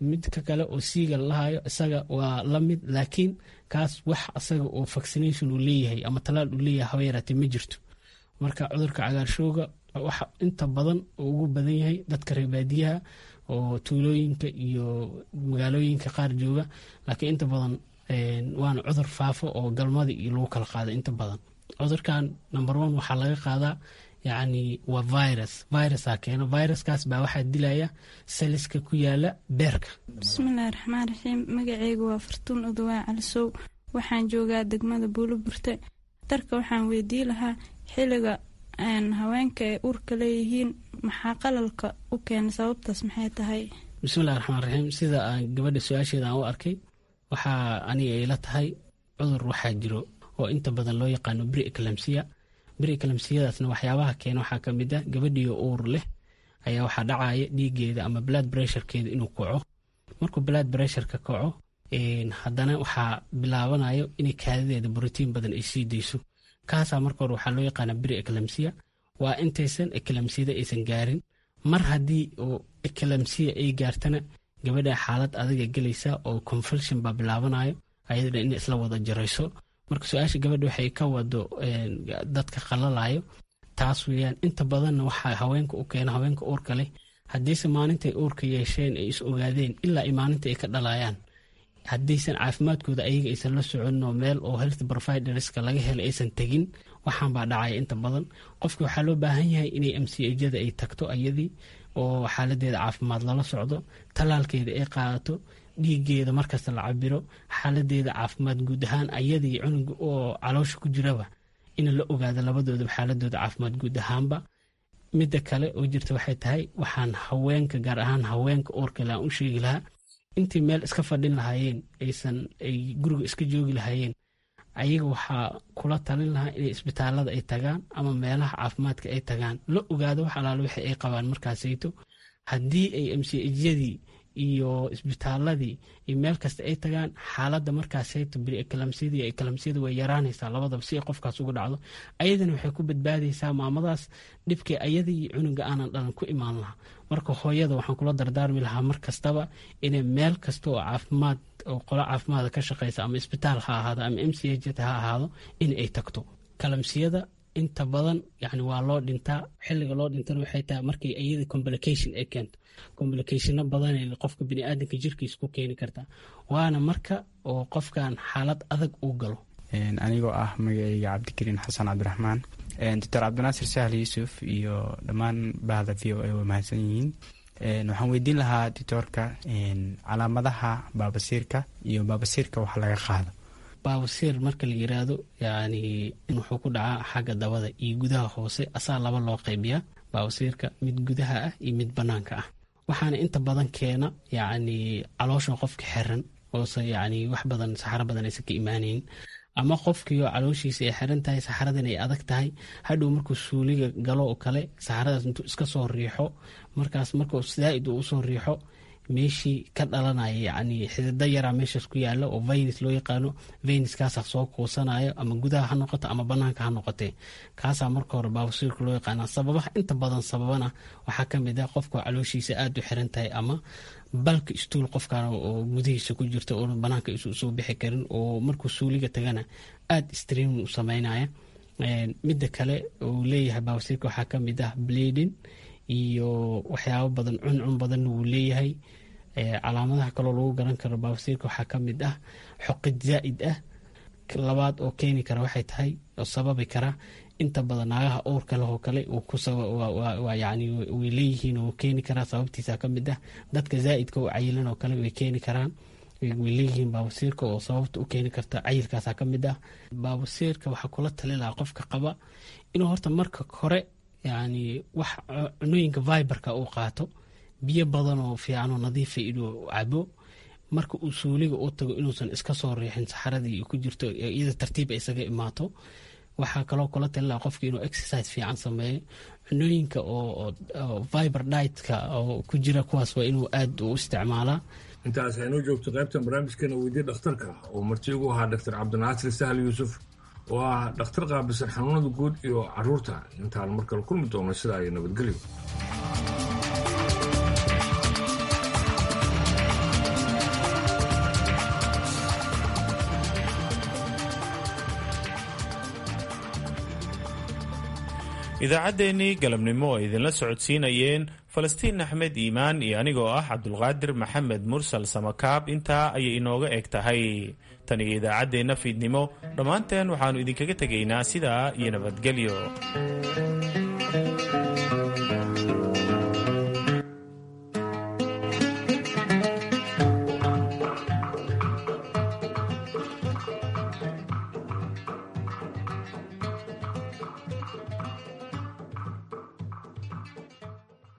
Midka kale oo siiga lalahayo isaga waa la mid, laakiin kaas wax asaga oo vaccination uu leeyahay ama talaal uu leeyahay haba yaraatee ma jirto. Marka cudurka cagaarshowga waxa inta badan uu ugu badan yahay dadka reer baadiyaha oo tuulooyinka iyo magaalooyinka qaar jooga, laakiin inta badan waana cudur faafo oo galmada iyo lagu kala qaado inta badan. Cudurkan number one waxaa laga qaadaa, yacni waa virus, virusaa keeno. Viruskaas baa waxaa dilaya saliska ku yaala beerka. Bismillahi raxmaan raxiim. Magaceyga waa Fartuun Udawaa Calisow, waxaan joogaa degmada Buuloburte. Dhakhtarka waxaan weydii lahaa xiliga haweenka ay uurka leeyihiin maxaa qalalka u keena, sababtaas maxay tahay? Bismillahi raxmaan raxiim. Sida aan gabadha su-aasheeda aan u arkay, waxaa aniga ila tahay cudur waxaa jiro oo inta badan loo yaqaano pre-eclampsia. Pre-eclampsiyadaasna waxyaabaha keena waxaa ka mid ah gabadhiyo uur leh ayaa waxaa dhacaya dhiigeeda ama blood pressurekeeda inuu kaco. Markuu blood pressureka kaco, haddana waxaa bilaabanayo inay kaadideeda borotiin badan ay sii dayso. Kaasaa marka hore waxaa loo yaqaana pre-eclampsia, waa intaysan eclampsiyada aysan gaarin. Mar haddii oo eclampsia ay gaartana, gabadha xaalad adiga gelaysa oo convulsion baa bilaabanayo, ayadana inay isla wada jarayso. Marka su-aasha gabadha waxay ka wado dadka qalalayo taas weeyaan. Inta badanna waxaa haweenka u keena haweenka uurka leh, haddiise maalintay uurka yeesheen ay is ogaadeen ilaa ay maalinta ay ka dhalayaan, haddaysan caafimaadkooda ayaga aysan la soconin oo meel oo health providerska laga helay aysan tegin, waxaan baa dhacaya inta badan. Qofki waxaa loo baahan yahay inay MCH-yada ay tagto ayadii oo xaaladeeda caafimaad lala socdo, tallaalkeeda ay qaadato, dhiigeeda markasta la cabiro, xaaladeeda caafimaad guud ahaan ayadii cunuga oo caloosha ku jiraba in la ogaado labadoodaba xaaladooda caafimaad guud ahaanba. Midda kale oo jirta waxay tahay, waxaan haweenka, gaar ahaan haweenka uurka leh, aan u sheegi lahaa intii meel iska fadhin lahaayeen, aysan ay guriga iska joogi lahaayeen, ayaga waxaa kula talin lahaa inay isbitaalada ay tagaan ama meelaha caafimaadka ay tagaan, la ogaado wax alaale wixii ay qabaan markaasayto. Haddii ay MCH-yadii iyo isbitaaladii iyo meel kasta ay tagaan, xaaladda markaasayto pre-eclampsiyada iyo eclampsiyada way yaraanaysaa labadaba si ay qofkaas uga dhacdo. Ayadana waxay ku badbaadaysaa maamadaas dhibkii ayada iyo cunuga aanan dhalan ku imaan lahaa. Marka hooyada waxaan kula dardaarmi lahaa mar kastaba inay meel kasta oo caafimaad oo qolo caafimaada ka shaqeysa, ama isbitaal ha ahaado ama MCH ha ahaado, in ay tagto. Eclampsiyada inta badan yani waa loo dhintaa. Xilliga loo dhintana waxay tahay markay iyada complication ay keento. Complicationo badan qofka biniaadanka jirkiisa ku keeni kartaa, waana marka oo qofkan xaalad adag uu galo. Anigoo ah magacayga Cabdikariin Xasan Cabdiraxmaan, Doctor Cabdinaasir Sahl Yuusuf iyo dhammaan bahda VOA way mahadsan yihiin. Waxaan weydiin lahaa doctorka calaamadaha baabasiirka iyo baabasiirka wax laga qaado. Baabasiir marka la yiraahdo, yani wuxuu ku dhacaa xagga dabada iyo gudaha hoose. Asaa laba loo qaybiyaa baabasiirka, mid gudaha ah iyo mid banaanka ah. Waxaana inta badan keena yacni caloosha qofka xiran oose yacni wax badan saxaro badan aysan ka imaanayn, ama qofkiioo calooshiisa ay xiran tahay, saxaradan ay adag tahay. Hadhow markuu suuliga galo oo kale, saxaradaas intuu iska soo riixo, markaas markuu zaaid uu usoo riixo, meeshii ka dhalanaya yacni xidida yaraa meeshaas ku yaala oo veins loo yaqaano, veinskaasaa soo kuusanayo, ama gudaha ha noqoto ama banaanka ha noqotee. Kaasaa marka hore baabasiirka loo yaqaana. Sababaha inta badan sababana waxaa ka mid ah qofka calooshiisa aada u xiran tahay, ama bulky stool qofkan oo gudihiisa ku jirta oo banaanka isu soo bixi karin, oo markuu suuliga tagana aada streaming u sameynaya. Midda kale uu leeyahay baabasiirka waxaa ka mid ah bleeding iyo waxyaabo badan, cuncun badanna wuu leeyahay. Calaamadaha kaloo lagu garan karo baabasiirka waxaa ka mid ah xoqid zaa'id ah. Labaad oo keeni kara waxay tahay oo sababi kara, inta badan naagaha uurka leh oo kale yani way leeyihiin oo keeni karaa. Sababtiisa ka mid ah dadka zaa'idka u cayilan oo kale way keeni karaan, way leeyihiin baabasiirka oo sababta u keeni karta cayilkaasa ka mid ah. Baabasiirka waxaa kula tali lahaa qofka qaba inuu horta marka hore yani wax cunooyinka fiberka uu qaato, biyo badan oo fiican oo nadiifa inuu cabo, marka uu suuliga u tago inuusan iska soo riixin saxaradii ku jirto, iyada tartiib ay isaga imaato. Waxaa kaloo kula tali lahaa qofka inuu exercise fiican sameeyo. Cunooyinka oo fiber dietka oo ku jira kuwaas waa inuu aad u isticmaalaa. Intaas aynoo joogto qaybtan barnaamijkeena Weydii Dhakhtarka, oo marti ugu ahaa Doctor Cabdinaasir Sahal Yuusuf, oo ah dhakhtar qaabilsan xanuunada guud iyo caruurta. Intaan mar kale kulmi doono, sidaa iyo nabadgelyo. Idaacaddeenii galabnimo oo idinla socodsiinayeen Falastiin Axmed Iimaan iyo anigoo ah Cabdulqaadir Maxamed Mursal Samakaab intaa ayay inooga eg tahay. Tan iyo idaacaddeenna fiidnimo, dhammaanteen waxaannu idinkaga tegaynaa sidaa iyo nabadgelyo.